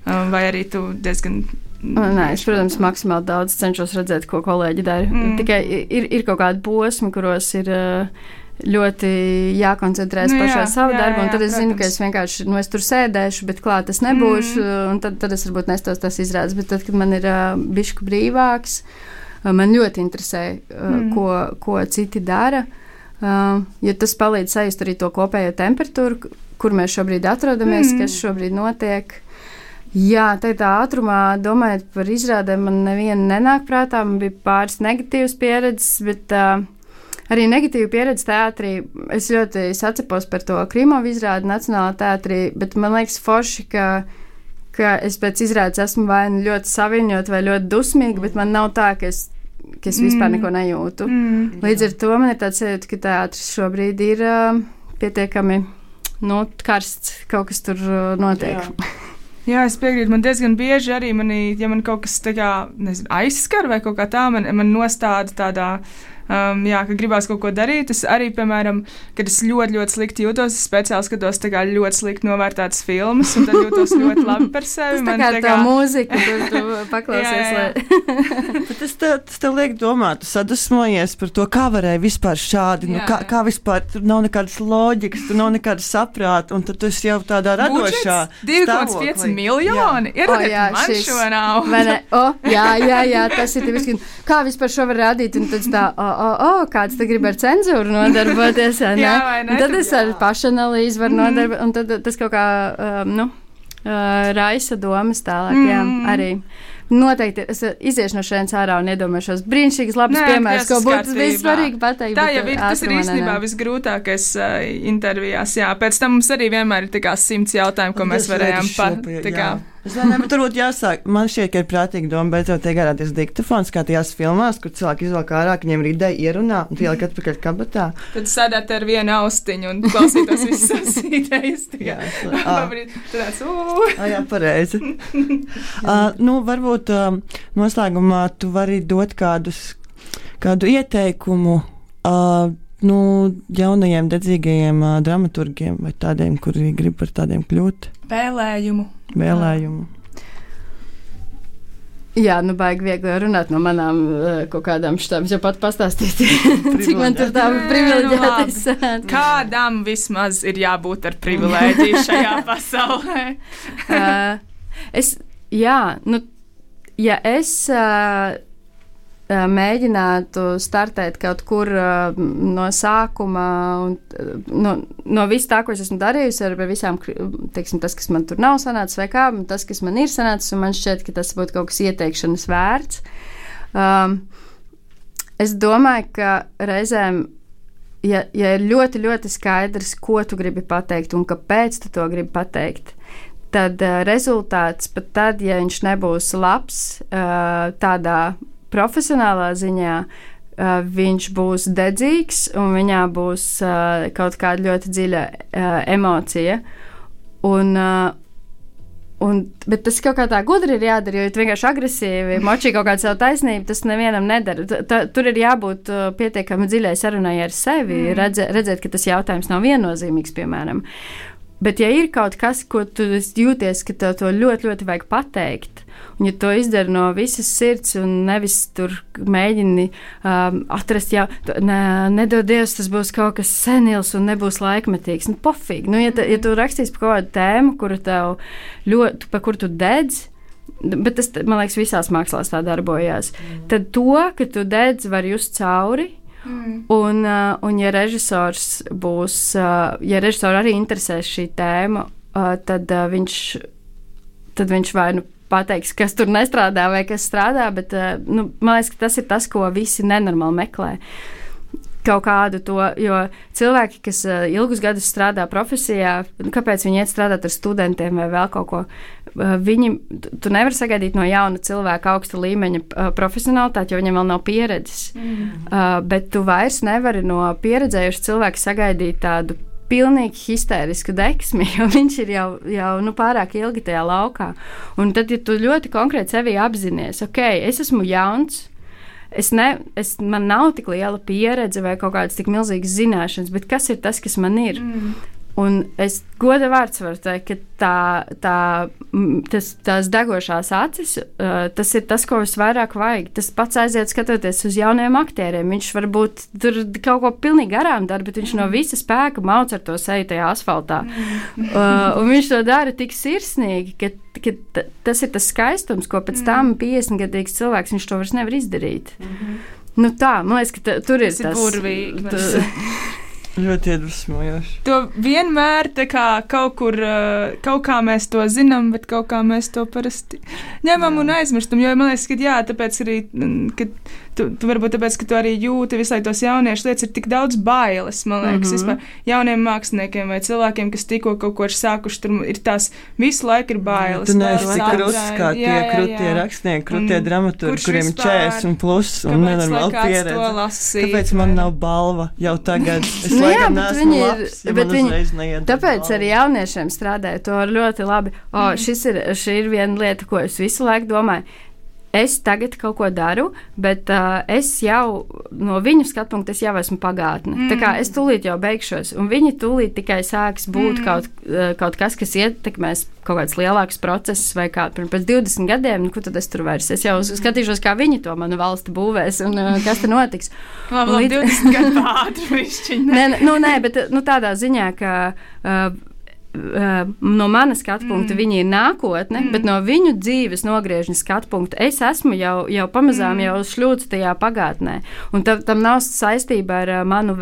S3: vai arī tu diezgan...
S4: Nē, es, protams, maksimāli daudz cenšos redzēt, ko kolēģi dara. Tikai ir kaut kādi posmi, kuros ir... ļoti jākoncentrēs pašā savu darbu, un tad es zinu, ka es vienkārši, es tur sēdēšu, bet klāt es nebūšu, un tad es varbūt nestos tas izrādes, bet tad, kad man ir bišķi brīvāks, man ļoti interesē, ko citi dara, jo tas palīdz sajust arī to kopējo temperatūru, kur mēs šobrīd atrodamies, kas šobrīd notiek. Jā, tā ātrumā, domājot par izrādēm, man neviena nenāk prātā, man bija pāris negatīvas pieredzes, bet arī negatīva pieredze teātrī. Es ļoti sacepos par to Krīmovu izrādi Nacionālā teātrī, bet man liekas forši, ka es pēc izrādes esmu vai ļoti saviņot vai ļoti dusmīga, bet man nav tā, ka es vispār neko nejūtu. Līdz ar to man ir tāds sajūta, ka teātris šobrīd ir pietiekami karsts, kaut kas tur notiek.
S3: Jā, es piekrītu. Man diezgan bieži arī, ja man kaut kas tā kā, aizskar vai kaut kā tā, man nostāda tādā... ka gribās kaut ko darīt. Es arī, piemēram, kad es ļoti, ļoti slikti jūtos, es speciāli skatos tā kā ļoti slikti novērtētas filmas, un tad jūtos ļoti labi par sevi.
S4: Tas tā kā tā mūzika, kur tu paklausies.
S5: Tas tev liek domāt, tu sadusmojies par to, kā varēja vispār šādi, kā vispār, tur nav nekādas loģikas, tur nav nekādas saprāta, un tad tu esi jau tādā radošā
S3: 2,5 miljoni. Ir man šo nav.
S4: Jā, tas ir tipiski. Kā vispār šo var rādīt, un tad tā, kāds te grib ar cenzūru nodarboties, ne? Tad es ar pašanalīzi varu nodarboties, un tad tas kaut kā, raisa domas tālāk, jā, arī. Noteikti es iziešu no šeit ārā un iedomāšos brīnišķīgas labas piemērs, ko būtu vissvarīgi pateikt.
S3: Tā jau ir, tas ir īstenībā visgrūtākais intervijās, jā. Pēc tam mums arī vienmēr ir tā kā 100 jautājumu, ko mēs varējām
S5: Es domāju, bet turbūt jāsāk. Man šķiet, ka ir prātīgi doma beidzot iegādāties diktafons, kā tajās filmās, kur cilvēki izvelk ārā, ka viņiem ir ideja ierunā un tie ieliek atpakaļ kabatā.
S3: Tad sēdēt ar vienu austiņu un klausītos visas idejas.
S5: Jā, pareizi. Varbūt noslēgumā tu vari dot kādu ieteikumu jaunajiem dedzīgajiem dramaturgiem vai tādiem, kuri grib par tādiem kļūt?
S3: Vēlējumu.
S4: Jā, baigi viegli runāt no manām kaut kādām šitām. Es jau pat pastāstīju, cik man tur tā privileģētas.
S3: Kādam vismaz ir jābūt ar privileģiju šajā pasaulē?
S4: Ja es mēģinātu startēt kaut kur no sākuma un no viss tā, ko es esmu darījusi ar visām, teiksim, tas, kas man tur nav sanācis vai kā, tas, kas man ir sanācis, un man šķiet, ka tas būtu kaut kas ieteikšanas vērts. Es domāju, ka reizēm, ja ir ļoti, ļoti skaidrs, ko tu gribi pateikt un kāpēc tu to gribi pateikt, tad rezultāts pat tad, ja viņš nebūs labs tādā profesionālā ziņā, viņš būs dedzīgs un viņā būs kaut kāda ļoti dziļa emocija. Bet tas kaut kā tā gudri ir jādara, jo tu vienkārši agresīvi močī kaut kādu savu taisnību, tas nevienam nedara. Tur ir jābūt pietiekami dziļai sarunai ar sevi, redzēt, ka tas jautājums nav viennozīmīgs, piemēram. Bet, ja ir kaut kas, ko tu jūties, ka tev to ļoti, ļoti vajag pateikt, un ja to izdara no visas sirds un nevis tur mēģini atrast, nedod Dievs, tas būs kaut kas senils un nebūs laikmetīgs, pofīgi. Ja tu rakstīsi par kaut kādu tēmu, kuru tev ļoti, par kuru tu dedz, bet tas, man liekas, visās mākslās tā darbojās, tad to, ka tu dedz, var just cauri. Un ja režisors arī interesēs šī tēma, tad viņš vai pateiks, kas tur nestrādā vai kas strādā, bet man liekas, ka tas ir tas, ko visi nenormāli meklē. Kaut kādu to, jo cilvēki, kas ilgus gadus strādā profesijā, kāpēc viņi iet strādāt ar studentiem vai vēl kaut ko, tu nevari sagaidīt no jauna cilvēka augsta līmeņa profesionalitāti, jo viņam vēl nav pieredzes. Bet tu vairs nevari no pieredzējuša cilvēka sagaidīt tādu pilnīgi histērisku deksmi, jo viņš ir jau pārāk ilgi tajā laukā. Un tad, ja tu ļoti konkrēti sevi apzinies, es esmu jauns, man nav tik liela pieredze vai kaut kādas tik milzīgas zināšanas, bet kas ir tas, kas man ir? Un es goda vārds varu teikt, ka tās degošās acis, tas ir tas, ko visvairāk vajag. Tas pats aiziet skatoties uz jauniem aktieriem. Viņš varbūt tur kaut ko pilnīgi garām dara, bet viņš no visa spēka mauc ar to seju tajā asfaltā. Un viņš to dara tik sirsnīgi, ka tas ir tas skaistums, ko pēc tam 50-gadīgs cilvēks viņš to vairs nevar izdarīt. Tā, man liekas, ka tur ir tas.
S3: Burvīgi.
S5: Ļoti iedvesmojoši.
S3: To vienmēr kaut kā mēs to zinām, bet kaut kā mēs to parasti ņemam un aizmirstam. Jo man liekas, ka tāpēc arī, ka tu varbūt tāpēc, ka tu arī jūti visu laiku tos jauniešu lietas, ir tik daudz bailes, man liekas, vispār jauniem māksliniekiem vai cilvēkiem, kas tikko kaut ko ir sākuši, tur ir tās visu laiku ir bailes.
S5: Tu neesi tik kruts, kā tie krutie rakstnieki, krutie dramaturgi, kuriem ir 40 plus un nenormāli pieredze. Kāpēc man nav balva jau tagad?
S4: Tāpēc arī jauniešiem strādāju to ļoti labi. Šī ir viena lieta, ko es visu laiku domāju. Es tagad kaut ko daru, bet es jau no viņu skatu punkta jau esmu pagātne. Tā kā es tūlīt jau beigšos, un viņi tūlīt tikai sāks būt kaut kas, kas ietekmēs kaut kāds lielāks process, vai kā pēc 20 gadiem, ko tad es tur vairs. Es jau skatīšos, kā viņi to manu valsti būvēs, un kas te notiks.
S3: Labi, 20 gadu ātri višķiņi.
S4: Nē, bet tādā ziņā, ka no manas skatu punkta viņi ir nākotne, bet no viņu dzīves nogriežņa skatu punkta es esmu jau pamazām jau šļūts tajā pagātnē. Un tam nav saistība ar manu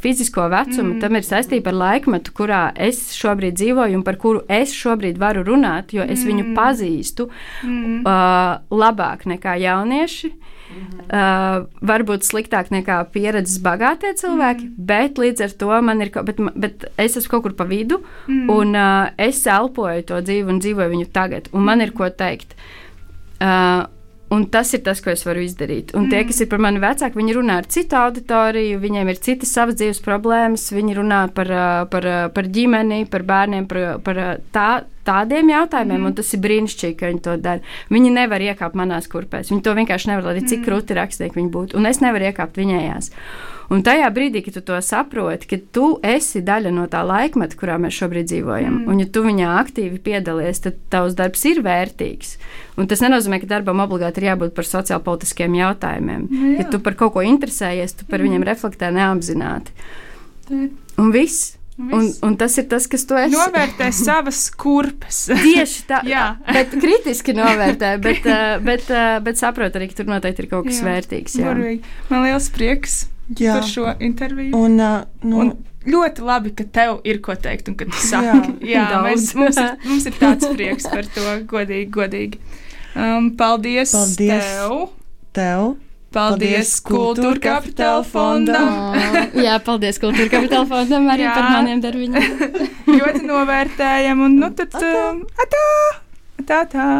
S4: fizisko vecumu, tam ir saistība ar laikmetu, kurā es šobrīd dzīvoju un par kuru es šobrīd varu runāt, jo es viņu pazīstu labāk nekā jaunieši. Varbūt sliktāk nekā pieredzes bagātie cilvēki, bet līdz ar to man ir, bet es esmu kaut kur pa vidu, un es elpoju to dzīvi un dzīvoju viņu tagad, un man ir ko teikt. Un tas ir tas, ko es varu izdarīt. Un tie, kas ir par mani vecāki, viņi runā ar citu auditoriju, viņiem ir citas savas dzīves problēmas, viņi runā par ģimeni, par bērniem, par tādiem jautājumiem, un tas ir brīnišķīgi, ka viņi to dara. Viņi nevar iekāpt manās kurpēs, viņi to vienkārši nevar, lai cik krūti rakstnieki viņi būtu, un es nevaru iekāpt viņējās. Un tajā brīdī, kad tu to saproti, ka tu esi daļa no tā laikmeta, kurā mēs šobrīd dzīvojam, un ja tu viņā aktīvi piedalies, tad tavs darbs ir vērtīgs. Un tas nenozīmē, ka darbam obligāti ir jābūt par sociālpolitiskiem jautājumiem. Ja tu par kaut ko interesējies, tu par viņiem reflektē neapzināti. Un viss. Un tas ir tas, kas tu esi.
S3: Novērtē savas kurpes.
S4: Tieši tā, bet kritiski novērtē, bet saprot arī, ka tur noteikti ir kaut kas vērtīgs.
S3: Man liels prieks par šo interviju. Un ļoti labi, ka tev ir ko teikt un ka tu saki. Mums ir tāds prieks par to, godīgi. Paldies tev. Paldies Kultūra Kapitāla fondam.
S4: Jā, paldies Kultūra Kapitāla fondam arī par maniem darbiņiem.
S3: Ļoti novērtējam un tad atā!